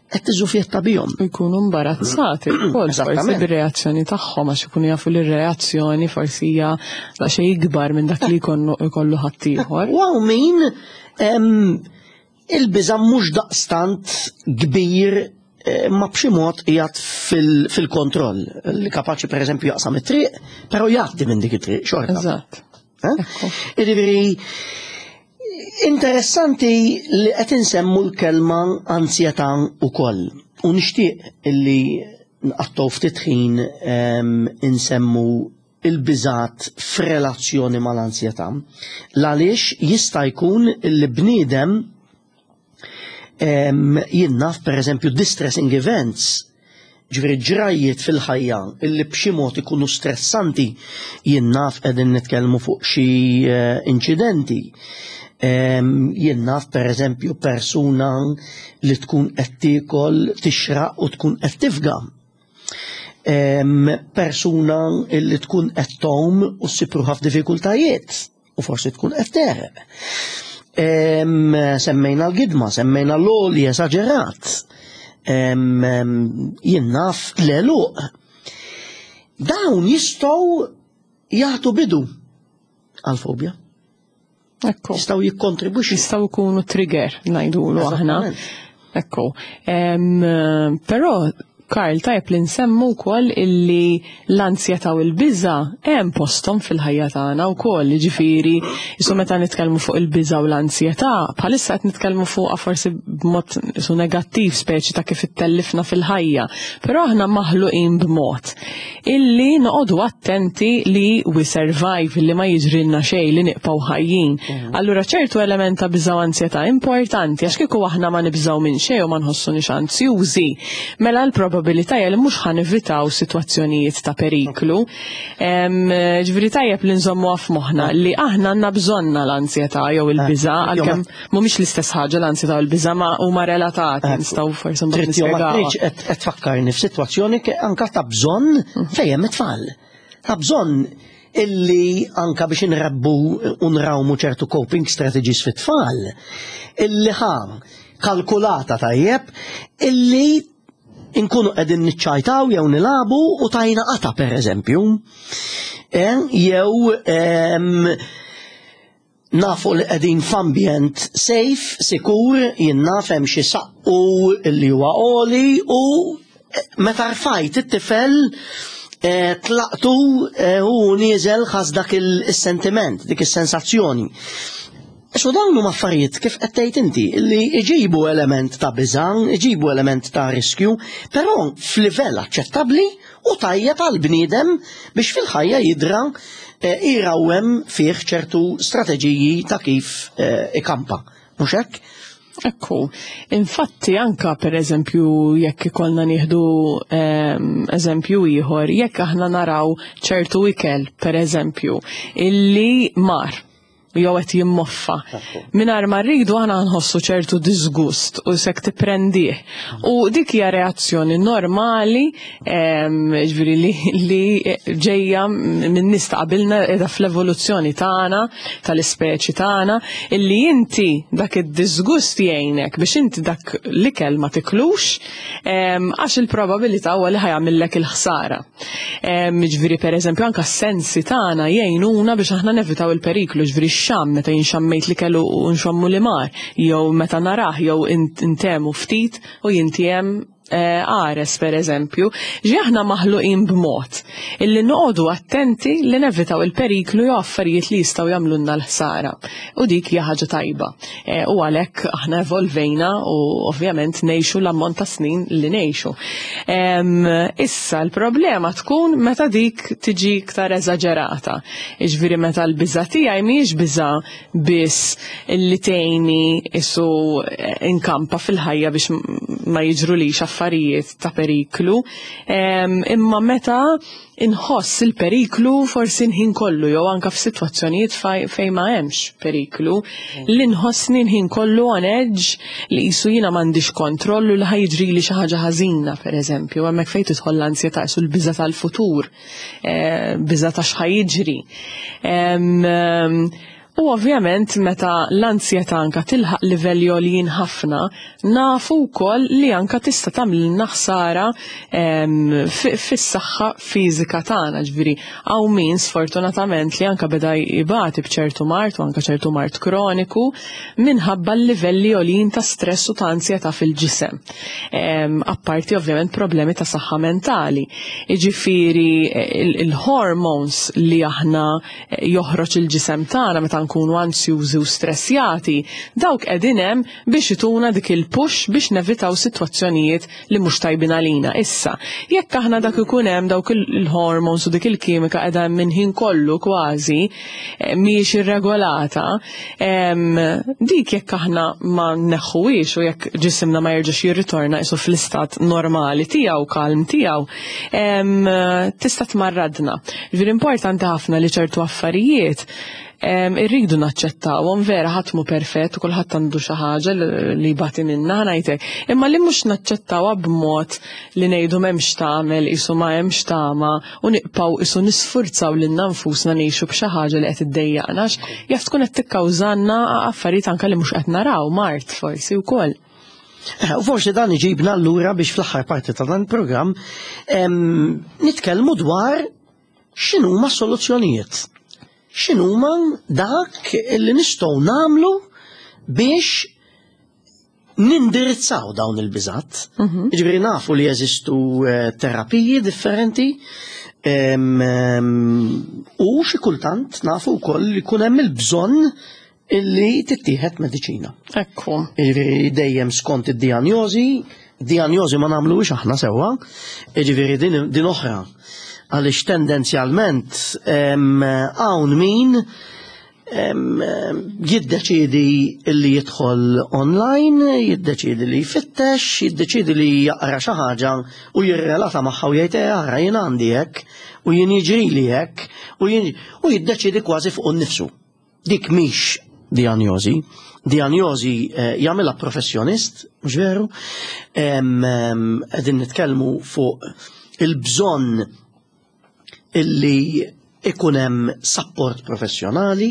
qed tiżufjetta bihom. Jkunu imbarazzati wkoll forsi bir-reazzjoni tagħhom għax ikunu jafu li r-reazzjoni forsi hija daqsxejn ikbar minn dak li jkollu ħaddieħor. U hawn min il-biża' mhux daqstant kbir eh, ma b'xi mod qiegħed fil-kontroll li kapaċi pereżempju jaqsam it-triq, però jgħaddi minn dik it-triq xorta. Eżatt. Eh? Jiġifieri interessanti li qed insemmu l-kelma ansjetà ukoll. U nixtieq illi nqattgħu ftit ħin insemmu il-biżat f'relazzjoni mal-ansjetà. L-għaliex jista' jkun li bniedem jien naf pereżempju distressing events, ġifieri ġrajjiet fil-ħajja illi b'xi mod ikunu stressanti, jien naf qegħdin nitkellmu fuq xi eh, inċidenti. Jien naf pereżempju persuna li tkun qed tiekol tixraq u tkun qed tifga. Persuna li tkun qed tgħum u ssib ruħha f'diffikultajiet u forsi tkun qed teħreb. Semmejna l-gidma, semmejna l-għoli esaġerat. Jien naf l-għeluq. Dawn jistgħu jagħtu bidu għal-fobja. Ekku. Jistgħu jikkontribwixxu. Jistgħu jkunu trigger ngħidulu aħna. Ekku. Però Karl, tajjeb li nsemmu wkoll illi l-anzjetà u l-biża' hemm posthom fil-ħajja tagħna wkoll, jiġifieri isu meta nitkellmu fuq il-biża' u l-anzjetà, bħalissa qed nitkellmu fuqha forsi b'mod isu negattiv speċi ta' kif ittellifna fil-ħajja, però aħna maħluqin b'mod illi noqogħdu attenti li we survive, li ma jiġrilna xejn, li nibqgħu ħajjin. Allura ċertu element ta' biża' u anzjetà importanti għax kieku aħna ma nibżgħu minn xejn u ma nħossunix anzjużi, mela l-probabilità hija li mhux ħa nevitaw sitwazzjonijiet ta' periklu. Ġifieri tajjeb li nżommuha f'moħħna li aħna għandna bżonna l-anzjetà jew il-biża' għalkemm mhumiex l-istess ħaġa l-anzjetà u l-biża' ma huma relatati, nistgħu forsi mbagħad nispjegaw. Qed tfakkarni f'sitwazzjoni anka ta' bżonn mhm. fejn hemm it-tfal. Ta' bżonn illi anka biex inrebbu u nrawmu ċertu coping strategies fit-tfal, illi ħa kalkulata tajjeb, illi inkunu qegħdin niċċajtaw jew nilabu u tajna qata per eżempju. Eh, jew Nafu li qegħdin f'ambjent safe, sikur, jien naf hemm xi saqqu li huwa għoli u eh, meta rfajt it-tifel eh, tlaqtu eh, u nieżel ħas dak il-sentiment, dik is-sensazzjoni. So dawn huma affarijiet kif qed tgħid inti li iġibu element ta' biża', iġibu element ta' riskju, però f'livell aċċettabbli u tajjeb għal bniedem biex fil-ħajja jidra eh, jrawwem fih ċertu strateġiji ta' kif eh, ikampa. Mhux hekk? Ekku, infatti anka per eżempju jekk ikollna nieħdu ehm, eżempju ieħor, jekk aħna naraw ċertu ikel per eżempju illi mar jew qed jimmoffa. Mingħajr ma rridu aħna nħossu ċertu disgust u sek tipprendih. U dik hija reazzjoni normali ġifieri li, li ġejja minn nies ta' qabilna qiegħda fl-evoluzzjoni tagħna tal-ispeċi tagħna illi inti dak id-disgust jgħinek biex inti dak l-ikel ma tiklux għax il-probabilità huwa li ħajamillek il-ħsara. Ġifieri pereżempju anke s-sensi tagħna jgħinuna biex aħna nevitaw il-periklu, ġifieri x-xamm meta jinxammejt li kellu u nxommu li mar, jew meta narah jew intemu ftit u jintiem eh, għares per eżempju, ġi aħna maħluqin b'mod illi noqogħdu attenti li nevitaw il-periklu jew affarijiet li jistgħu jagħmlulna l-ħsara. U dik hija ħaġa tajba. Eh, u għalhekk aħna evolvejna u ovvjament ngħixu l-ammont ta' snin li ngħixu. Issa l-problema tkun meta dik tiġi iktar eżaġerata. Iġviri meta l-biża tiegħi mhijiex biża biss li tgħinni isu eh, inkampa fil-ħajja biex ma jiġrulix affarijiet ta' periklu, imma meta inħoss il-periklu forsi nħin kollu jew anka f'sitwazzjonijiet fejn ma hemmx periklu li nħossni nħin kollu on edge li qisu jiena m'għandix kontroll u li ħajġrili xi ħaġa ħażina pereżempju hemmhekk fejn tidħol l-ansjetà qisu l-biża' tal-futur eh, biża' ta' x'ħajġri. U ovvjament meta l-anzjetà anka tilħaq livelli għoljin ħafna, nafu wkoll li anka tista' tagħmlilna ħsara fis-saħħa fiżika tagħna, ġifieri hawn min sfortunatament li anka beda jbati b'ċertu mard u anka ċertu mard kroniku minħabba l-livelli għoljin ta' stress u ta' anzjetà fil-ġisem. Apparti ovvjament problemi ta' saħħa mentali. Jiġifieri il-hormones li aħna joħroġ il-ġisem tagħna meta nkunu anzjużi u stressjati, dawk qegħdin hemm biex ituna dik il-push biex nevitaw sitwazzjonijiet li mhux tajbin għalina. Issa, jekk aħna dak ikun hemm dawk il-hormones u dik il-kimika qiegħda hemm minn ħin kollu kważi eh, mhijiex irregolata, dik jekk aħna ma nneħħuhiex u jekk ġisimna ma jerġax jirritorna isu fl-istat normali tiegħu, kalm tiegħu, tista' tmarradna. Ġifieri importanti ħafna li ċertu affarijiet Irridu naċċettawhom vera ħadd mhu perfett u kulħadd għandu xi ħaġa li jbati minnha ngħidlek. Imma li mhux naċċettawha b'mod li ngħidu m'hemmx tagħmel qisu ma hemmx tama u nibqgħu qisu nisfurzaw lilna nfusna ngħixu b'xi ħaġa li qed iddejjaqna jaf tkun qed tikkawżalna affarijiet anke li mhux qed naraw, mard forsi wkoll. U forsi dan iġibna allura biex fl-aħħar parti ta' dan il-programm nitkellmu dwar x'inhuma s-soluzzjonijiet. X'inhuma dak li nistgħu nagħmlu biex nindirizzaw dawn il-biżat. Jiġifieri nafu li jeżistu terapiji differenti u xi kultant nafu wkoll li jkun hemm il-bżonn illi tittieħed mediċina. Ekku. Jiġifieri dejjem skont id-dijanjosi, dijanjosi ma nagħmluhiex aħna sewwa, jiġifieri din oħra. Għaliex tendenzjalment hawn min jiddeċiedi li jidħol online, jiddeċiedi li jfittex, jiddeċiedi li jaqra xi ħaġa u jirrelata magħha u jgħid ara jien għandi hekk u jien jiġrili hekk u jien u jiddeċiedi kważi fuq innifsu. Dik mhix dijanjosi. Dijanjosi jagħmilha professjonist, mhux veru? Qegħdin nitkellmu fuq il-bżonn illi ikun hemm support professjonali,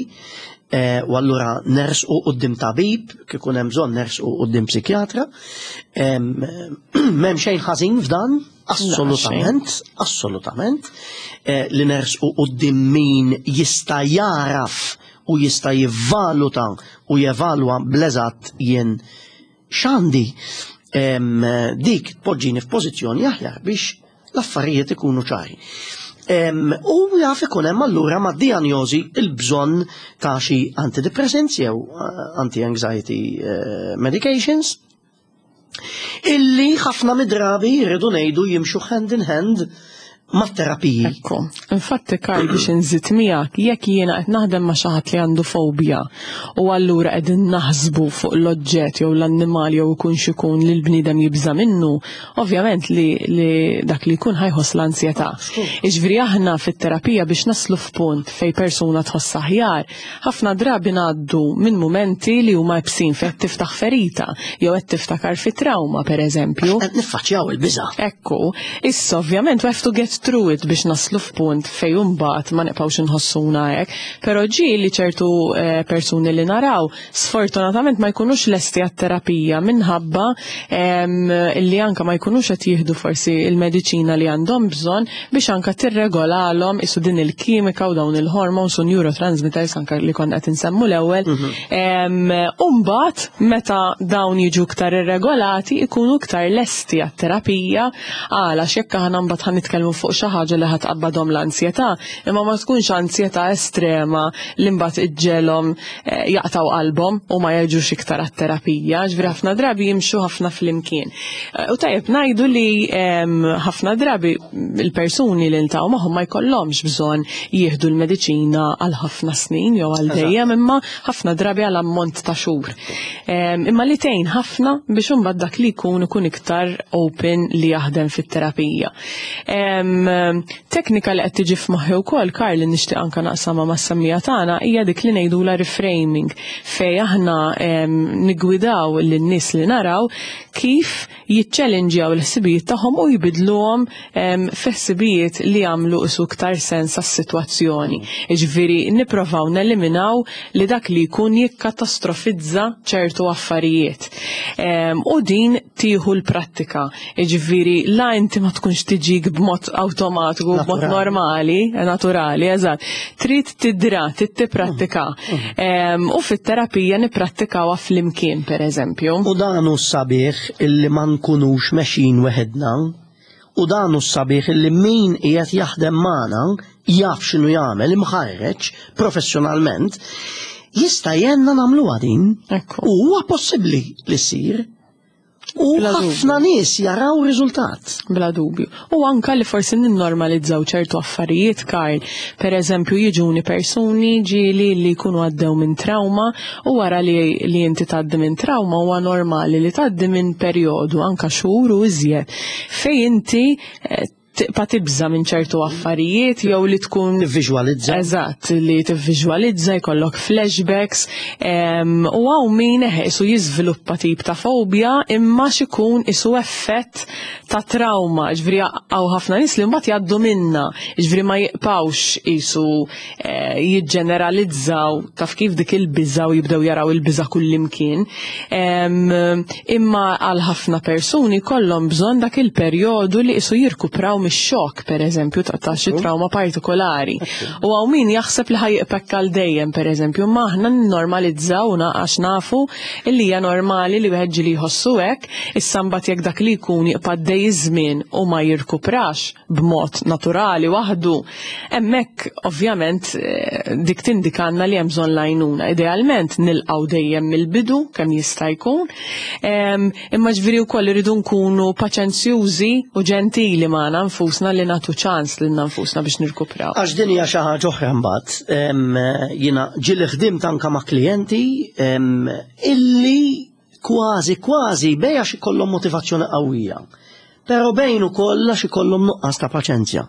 u allura nersqu quddiem tabib, kif ikun hemm bżonn nersqu quddiem psikjatra. M'hemm xejn ħażin f'dan, assolutament, assolutament, li nersqu quddiem min jista' jaraf u jista' jivvaluta u jevalwa bl-eżatt jien x'għandi. Dik tpoġġini f'pożizzjoni aħjar biex l-affarijiet ikunu ċari. U jaf ikun hemm allura ma' dijanjosi il-bżonn ta' xi antidepressants jew anti-anxiety medications illi ħafna mid-drabi jridu ngħidu jimxu hand in hand mat-terapiji. Ekku. Infatti, Karl, biex nżid miegħek, jekk jiena qed naħdem ma' xi ħadd li għandu fobja u allura qegħdin naħsbu fuq l-oġġett jew l-annimal jew ikun x'ikun li l-bniedem jibża' minnu, ovvjament li dak li jkun ħa jħoss l-ansjetà. Jiġifieri aħna fit-terapija biex naslu f'punt fejn persuna tħoss aħjar, ħafna drabi ngħaddu minn momenti li huma iebsin fejn qed tiftaħ ferita jew qed tiftakar fi trauma pereżempju. Qed niffaċċjaw il-biża'. Ekku, issa ovvjament we have to get through it biex naslu f'punt fejn imbagħad ma nibqgħux inħossuna hekk, però ġieli ċertu persuni li naraw sfortunatament ma jkunux lesti għat-terapija minħabba li anka ma jkunux qed jieħdu forsi il-mediċina li għandhom bżonn biex anka tirregolalhom isu din il-kimika u dawn il-hormones u neurotransmitters anka li konna qed insemmu l-ewwel. U mbagħad meta dawn jiġu iktar irregolati ikunu iktar lesti għat-terapija għala jekk aħna mbagħad ħa nitkellmu fuq xi ħaġa li ħa tqabbadhom l-ansjetà, imma ma tkunx ansjetà estrema li mbagħad iġġegħelhom jaqtaw qalbhom u ma jerġux iktar għat-terapija, ġifieri ħafna drabi jimxu ħafna flimkien. U tajjeb ngħidu li ħafna drabi il-persuni li niltaqgħu magħhom ma jkollhomx bżonn jieħdu l-mediċina għal ħafna snin jew għal dejjem, imma ħafna drabi għal ammont ta' xhur. Imma li tgħin ħafna biex imbagħad dak li jkun ikun iktar open li jaħdem fit-terapija. Teknika li qed tiġi f'moħħi wkoll, Karl, li nixtieq anke naqsamha mas-semmiegħa tagħna hija dik li ngħidulha reframing, fejn aħna niggwidaw lin-nies li naraw kif jiċċellinġjaw l-ħsibijiet tagħhom u jbidluhom fi ħsibijiet li jagħmlu isu iktar sens għas-sitwazzjoni. Jiġifieri nipprovaw neliminaw li dak li jkun jikkatastrofizza ċertu affarijiet. U din tieħu l-prattika. Jiġifieri la inti ma tkunx tiġik b'mod awtomatiku, b'mod normali, naturali, eżatt. Trid tidra, trid tipprattika. U fit-terapija nipprattikawha flimkien, pereżempju. U dan hu sabiħ illi ma nkunux mexjin weħedna, u dan hu sabiħ illi min qiegħed jaħdem magħna jaf x'inhu jagħmel, imħarreġ professjonalment, jista' jgħinna nagħmluha din. Ekku. U huwa possibbli li ssir. U Bla dubju. ħafna nies jaraw riżultat. Bla dubju. U anka li forsi ninnormalizzaw ċertu affarijiet, Karl. Per eżempju, jiġuni persuni ġieli li jkunu għaddew minn trauma u wara li inti tgħaddi minn trauma huwa normali li tgħaddi minn perjodu anka xhur u iżjed fejn inti Tibqa' tibża' minn ċertu affarijiet jew li tkun Tivviżwalizza. Eżatt, li tivviżwalizza, jkollok flashbacks, u hawn min eħe isu jiżviluppa tip ta' fobja imma x'ikun isu effett ta' trauma, ġifieri hawn ħafna nies li mbagħad jgħaddu minnha, ġifieri ma jibqgħux isu eh, jiġġeneralizzaw taf kif dik il-biża' u jibdew jaraw il-biża' kullimkien. Imma għal ħafna persuni kollhom bżonn dak il-perjodu li isu jirkupraw mix-xokk, pereżempju, ta' xi trauma partikolari. U hawn min jaħseb li ħa jibqa' għal dejjem, pereżempju, imma aħna nnormalizzaw għax nafu li hija normali li wieħed ġieli jħossu hekk, issa mbagħad jekk dak li jkun jibqa' għaddej iż-żmien u ma jirkuprax b'mod naturali waħdu, hemmhekk ovvjament eh, dik tindikanna li hemm bżonn l-għajnuna. Idealment nilqgħu dejjem mill-bidu kemm jista' jkun, imma ġifieri wkoll irridu nkunu paċenzjużi u ġentili magħna nfusna li nagħtu ċans lilna nfusna biex nirkupraw. Għax din hija xi ħaġa oħra mbagħad, jiena ġieli ħdimt anke ma' klijenti illi kważi kważi bej għax ikollhom motivazzjoni qawwija. Però bejn ukoll għax ikollhom nuqqas ta' paċenzja.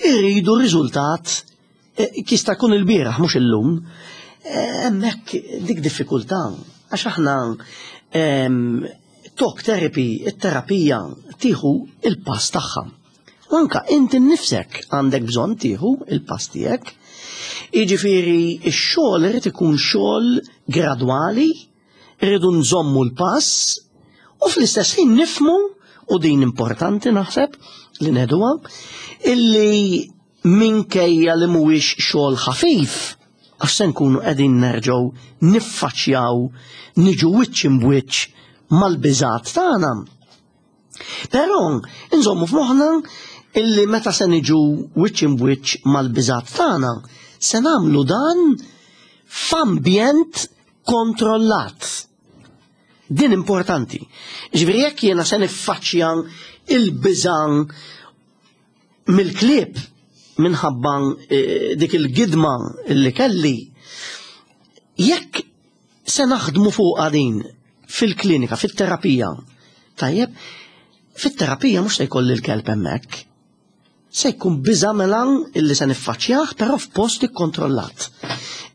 Irridu riżultat eh, jista' jkun il-bieraħ mhux illum. Eh, hemmhekk dik diffikultà għax aħna talk therapy, it-terapija tieħu il-pass tagħha. U anka inti nnifsek għandek bżonn tieħu il-pass tiegħek. Jiġifieri x-xogħol irid ikun xogħol gradwali, Irridu nżommu l-pass u fl-istess ħin nifmu u din importanti naħseb li neduha illi minkejja li mhuwiex xogħol ħafif għax se nkunu qegħdin nerġgħu niffaċċjaw niġu wiċċ imbwiċċ mal-biżgħat tagħna. Però nżommu f'moħħna illi meta se niġu wiċċ imbwiċċ mal-biżgħat tagħna se nagħmlu dan f'ambjent kontrollat. Din importanti. Ġifieri jekk jiena se niffaċċja il-biża' mill-klieb minħabba eh, dik il-gidma li kelli, jekk se naħdmu fuqha din fil-klinika, fit-terapija, tajjeb, fit-terapija mhux se jkolli l-kelb hemmhekk. Se jkun biża' mela illi se niffaċċjah però f'post ikkontrollat.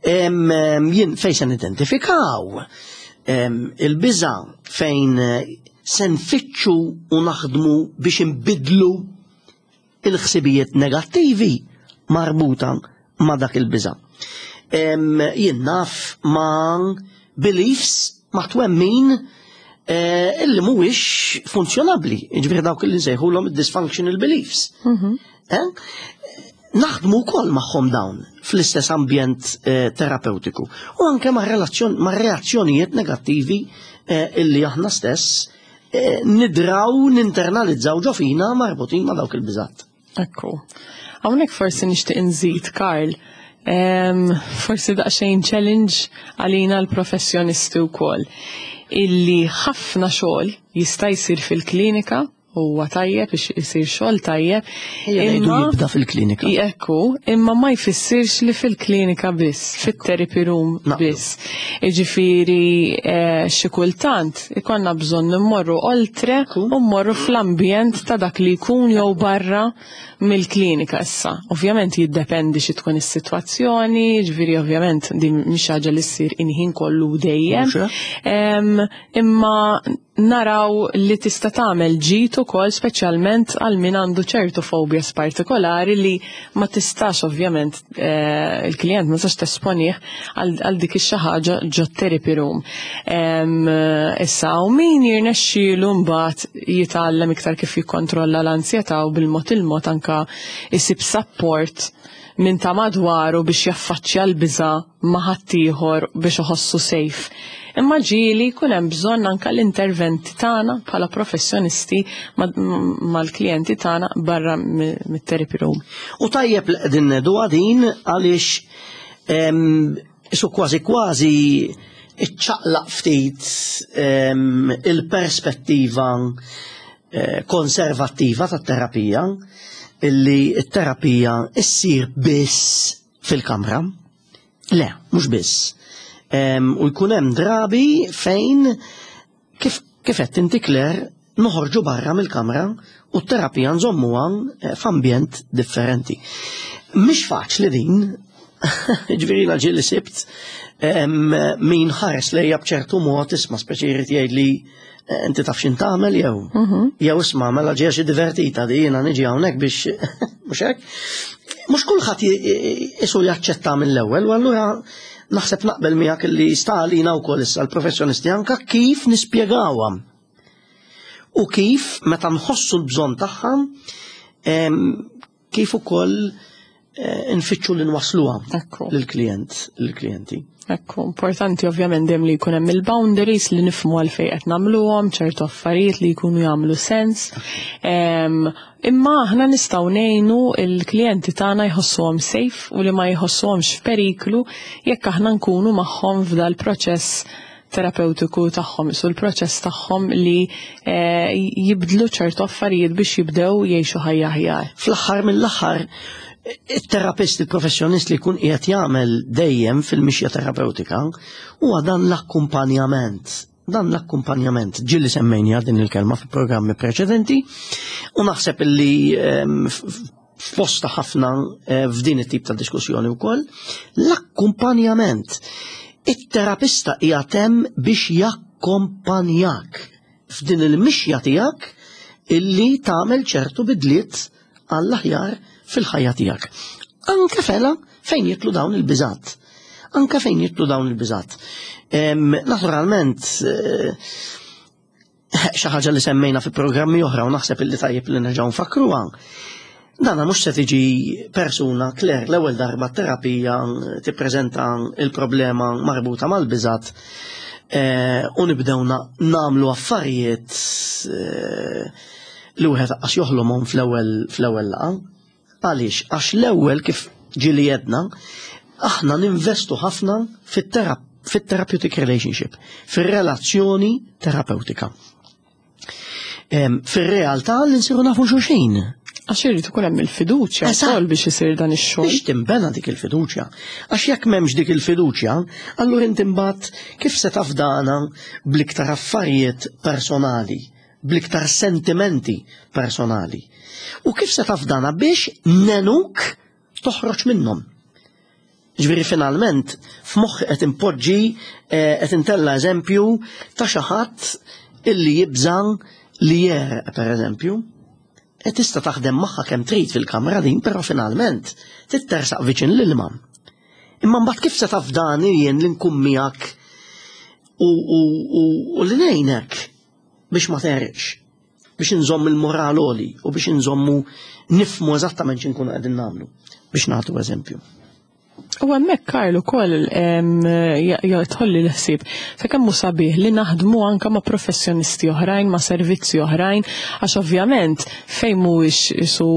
Jien fejn se nidentifikaw il-biża' fejn se nfittxu u naħdmu biex inbiddlu il-ħsibijiet negattivi marbuta ma' dak il-biża'. Jien naf ma' beliefs ma' twemmin eh, illi mhuwiex funzjonabbli, jiġifieri dawk li nsejħulhom dysfunctional beliefs. Mhm. Eh? Naħdmu wkoll magħhom dawn fl-istess ambjent eh, terapeutiku u anke ma' reazzjonijiet negattivi illi aħna stess nidraw ninternalizzaw ġo fina marbutin ma' dawk il-biżat. Ekku. Hawnhekk forsi nixtieq inżid, Karl, forsi daqsxejn challenge għalina l-professjonisti wkoll illi ħafna xogħol jista' jsir fil-klinika huwa tajjeb biex isir xogħol tajjeb. Imma jibda fil-klinika. Ekku, imma ma jfissirx li fil-klinika biss, fit-therapy room biss. Jiġifieri eh, xi kultant ikollna bżonn immorru oltre u mmorru fl-ambjent ta' dak li jkun jew barra mill-klinika issa. Ovvjament jiddependi xi tkun is-sitwazzjoni, ġifieri ovvjament din mhix ħaġa li ssir inħin kollu dejjem. Imma naraw li tista' tagħmel ġid ukoll speċjalment għal min għandu ċertu fobias partikolari li ma tistax ovvjament eh, il-klient ma tistax tesponih għal dik ix-xi ħaġa ġo therapy room. Issa u min jirnexxielu mbagħad jitgħallem iktar kif jikkontrolla l-ansjetà u bil-mod il-mod anka isib support minn ta' madwaru biex jaffaċċja l-biża' ma' ħaddieħor biex iħossu safe. Imma ġieli jkun hemm bżonn anke l-interventi tagħna bħala professjonisti mal-klijenti tagħna barra mit-therapy room. U tajjeb li qegħdin ngħiduha din għaliex isu kważi kważi iċċaqlaq ftit il-perspettiva eh, konservattiva tat-terapija illi t-terapija issir biss fil-kamra. Le, mhux biss. U jkun hemm drabi fejn kif kif qed inti Claire noħorġu barra mill-kamra U t-terapija nżommuha eh, f'ambjent differenti. Mhix faċli din, ġifieri ġieli sibt min ħares lejja b'ċertu mod isma' speċi jrid jgħidli eh, inti taf x'in tagħmel jew mhm. jew isma' mela ġejja xi divertita di jiena niġi hawnhekk biex mhux hekk. Mhux kulħadd isu jaċċetta mill-ewwel u allura naħseb naqbel miegħek li sta għalina wkoll issa l-professjonisti anka kif nispjegawha. U kif meta nħossu l-bżonn tagħha kif ukoll eh, nfittxu li nwasluha lill-klijent, lill-klijenti. Ekku, importanti ovvjament dejjem li jkun hemm il-boundaries li nifhmu għalfejn qed nagħmluhom, ċertu affarijiet li jkunu jagħmlu sens. Imma aħna nistgħu ngħinu l-klijenti tagħna jħossuhom safe u li ma jħossuhomx f'periklu jekk aħna nkunu magħhom f'dal proċess terapewtiku tagħhom, isu l-proċess tagħhom li eh, jibdlu ċertu affarijiet biex jibdew jgħixu ħajja aħjar. Fl-aħħar mill-aħħar, it-terapist, il-professjonist li jkun qiegħed jagħmel dejjem fil-mixja terapeutika huwa dan l-akkumpanjament. Dan l-akkumpanjament ġieli semmejnija din il-kelma fi programmi preċedenti u naħseb li ehm, fosta ħafna eh, f'din it-tip ta' diskussjoni wkoll, l-akkumpanjament. It-terapista qiegħed hemm biex jakkompanjak f'din il-mixja tiegħek illi tagħmel ċertu bidliet għall-aħjar fil-ħajja tiegħek. Anke fela fejn jitlu dawn il-biżat. Anke fejn jitlu dawn il-biżat. Naturalment, eh, xi ħaġa li semmejna fi programmi oħra u naħseb illi tajjeb li nerġgħu nfakruha. Dana mhux se tiġi persuna Claire l-ewwel darba terapija tippreżenta il-problema marbuta mal-biżat eh, u nibdew nagħmlu affarijiet eh, li wieħed qas joħlomhom fl-ewwel fl-ewwel laqgħa. Għaliex? Għax l-ewwel kif ġieli jedna, aħna ninvestu ħafna fit-therapeutic relationship, fir-relazzjoni terapeutika. Fir-realtà li nsiru nafu xulxin. Għax irid ikun hemm il-fiduċja wkoll biex isir dan ix-xogħol. Biex tinbena dik il-fiduċja. Għax jekk m'hemmx dik il-fiduċja, allura inti mbagħad kif se tafdana bl-iktar affarijiet personali bl-iktar sentimenti personali. U kif se tafdana biex nenuk toħroġ minnhom. Ġifieri finalment f'moħħi qed impoġġi eh, qed intella eżempju ta' xi ħadd illi jibża' li jereq pereżempju. E tista' taħdem magħha kemm trid fil-kamra din, però finalment tittersaq viċin l-ilma. Imma mbagħad kif se tafdani jien li nkun miegħek u, u, u, u li ngħinek biex ma terġ, biex inżomm il-moral għoli u biex inżommu nifmu eżattament x'inkunu qegħdin nagħmlu biex nagħtu eżempju. U hemmhekk Karl ukoll jitħolli l-ħsieb ta' kemm hu sabiħ li naħdmu anke ma' professjonisti oħrajn, ma' servizzi oħrajn, għax ovvjament fejn mhuwiex isu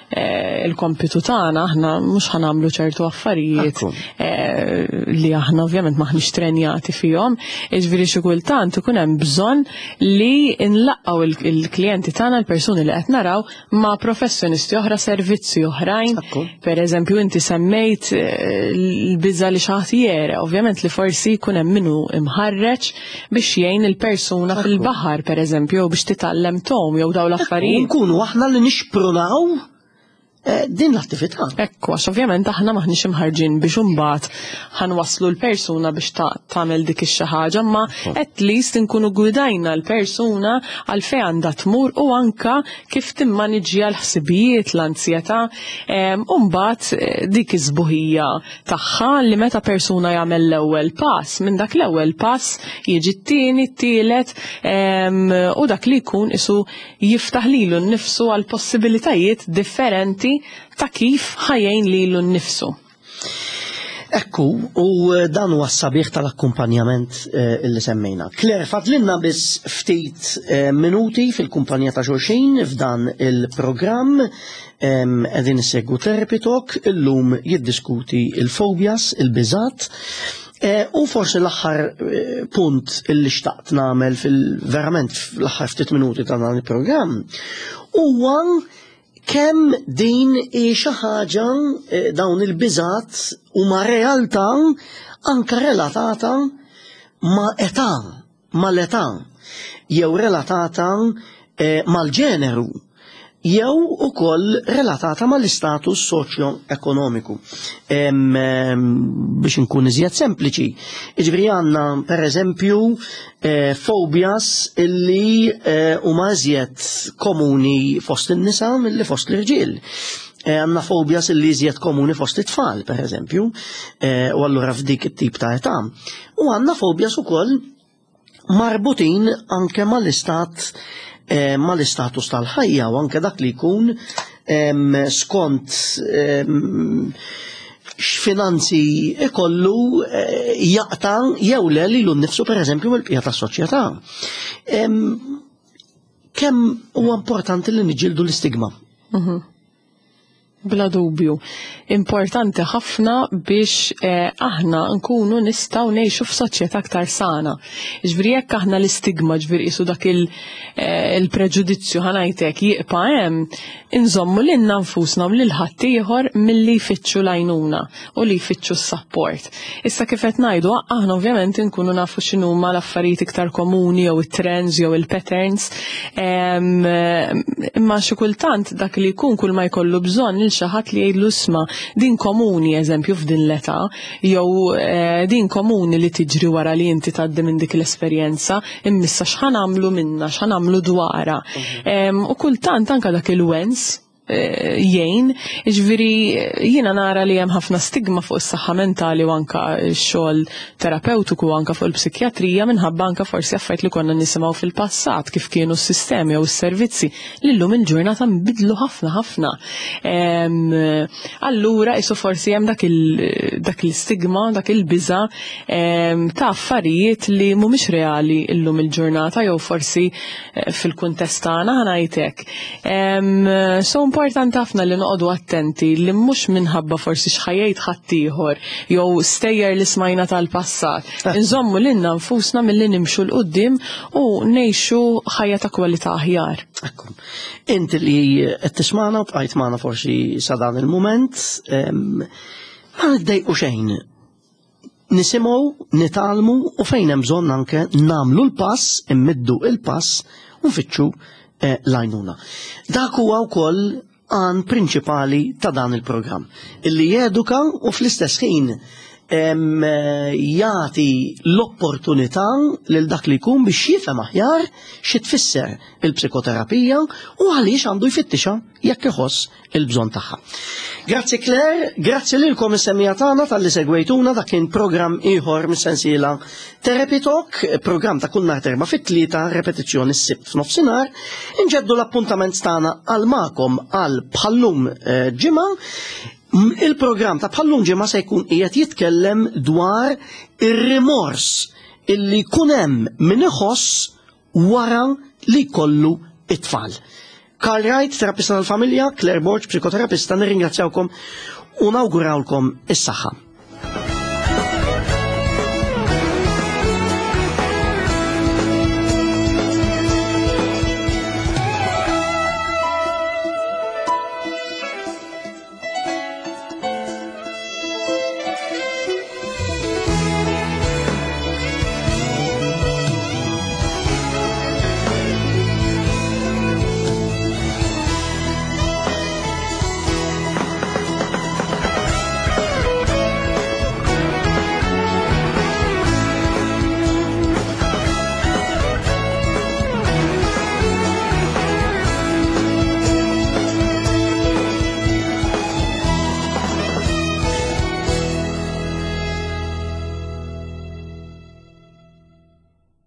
eh, il-kompitu tagħna aħna mhux ħanamlu ċertu affarijiet eh, li aħna ovvjament maħniex trenjati fihom. Jiġifieri xi kultant ikun hemm bżonn li nlaqgħu il-klijenti tagħna l-persuni li qed naraw ma' professjonisti oħra, servizzi oħrajn. Per eżempju, inti semmejt eh, l-biża li xaħat jere, ovvjament li forsi jkun hemm minnu imħarreġ biex jgħin il-persuna fil-baħar, per eżempju, biex titgħallem tom jew daw l-affarijiet. Nkunu aħna li nixprunaw eh, din l-attività. Ekku, għax ovvjament aħna maħniex imħarġin biex imbagħad ħanwasslu l-persuna biex tagħmel dik ix-xi ħaġa, imma at least inkunu gwidajna l-persuna għal fejn għandha tmur u anka kif timmaniġġja l-ħsibijiet, l-anzjetà, u mbagħad eh, dik iż-żbuħija tagħha li meta persuna jagħmel l-ewwel pass, minn dak l-ewwel pass jiġi t-tieni, t-tielet u dak li jkun isu jiftaħ lilu nnifsu għal possibilitajiet differenti ta' kif ħajjin lilu nnifsu. Ekku, u eh, dan huwa s-sabiħ tal-akkumpanjament eh, illi semmejna. Claire, fadlinna biss ftit eh, minuti fil-kumpanija ta' xulxin f'dan il-programm qegħdin issegwu Therapy Talk illum jiddiskuti il-fobias, il-biżat. U forsi l-aħħar punt illi xtaqt nagħmel fil-verament fl-aħħar ftit minuti ta' dan il-programm huwa kemm din hi xi ħaġa eh, dawn il-biżat huma realtà anke relatata ma' età, mal-età, jew relatata eh, mal-ġeneru. jew ukoll relatata mal-istatus soċjo-ekonomiku. Biex inkun iżjed sempliċi, jiġifieri għandna pereżempju eh, fobias illi eh, huma iżjed komuni fost in-nisa milli fost l-irġiel. Eh, għandna fobias illi iżjed komuni fost it-tfal, pereżempju, u allura f'dik it-tip ta' età. U għandna fobias ukoll marbutin anke mal-istat eh, mal-istatus tal-ħajja u anke dak li jkun skont x'finanzi ikollu eh, jaqta' jew le lilu nnifsu pereżempju mill-bqija tas-soċjetà. Kemm huwa importanti li niġġieldu l-istigma? Mhm. Bla dubju. Importanti ħafna biex eh, aħna nkunu nistgħu ngħixu f'soċjetà aktar sana. Ġifieri jekk aħna l-istigma ġifieri qisu dak eh, il-preġudizzju ħa ngħidlek jibqa' hemm, inżommu lilna nfusna u lil ħaddieħor milli jfittxu l-għajnuna u li jfittxu s-support. Issa kif qed ngħidu aħna ovvjament inkunu nafu x'inhuma l-affarijiet iktar komuni jew it-trends jew il-patterns. Imma xi kultant dak li jkun kull ma jkollu bżonn lil xi ħadd li jgħidlu isma' din komuni eżempju f'din l-età jew eh, din komuni li tiġri wara li inti tgħaddi minn dik l-esperjenza, immissa x'ħa nagħmlu minnha, x'ħa nagħmlu dwarha. Mhm. U kultant anka dak il-wens eh, jgħin, ġifieri jiena nara li hemm ħafna stigma fuq is-saħħa mentali u anka x-xogħol terapeutiku anka fuq il-psikjatrija minħabba anka forsi affarijiet li konna nisimgħu fil-passat kif kienu s-sistemi jew s-servizzi li llum il-ġurnata nbidlu ħafna ħafna. Allura isu forsi hemm dak il-stigma, dak il-biża ta' affarijiet li mhumiex reali llum il-ġurnata jew forsi eh, fil-kuntest tagħna ħa ngħidlek. So importanti ħafna li noqogħdu attenti li mhux minħabba forsi x'ħajjejt ħaddieħor jew stejjer li smajna tal-passat. Eh. Inżommu lilna nfusna milli nimxu 'l quddiem u ngħixu ħajja ta' kwalità aħjar. Ekku. Inti li qed tismagħna u bqajt magħna forsi sa dan il-mument, ma niddejqu xejn nisimgħu, nitgħallmu u fejn hemm bżonn anke nagħmlu l-pass, immiddu il-pass u nfittxu eh, l-għajnuna. Dak huwa wkoll għan prinċipali ta' dan il-programm, illi jeduka u fl-istess ħin jagħti l-opportunità lil dak li jkun biex jifhem aħjar xi tfisser il-psikoterapija u għaliex għandu jfittixa jekk iħoss il-bżonn tagħha. Grazzi Claire, grazzi lilkom is-semija tagħna talli segwejtuna dak kien programm ieħor mis-sensiela Therapy Talk, programm ta' kull nhar terba fit-tlieta, repetizzjoni s-sibt f'nofsinhar. Inġeddu l-appuntament tagħna għal magħkom għal bħallum eh, ġimgħa. Il-programm ta' bħallum ġimgħa se jkun qiegħed jitkellem dwar ir-rimors illi jkun hemm min iħoss wara li jkollu it-tfal. Karl Wright, terapista tal-familja, Claire Borg, psikoterapista, nirringrazzjawkom u nawgurawlkom is-saħħa.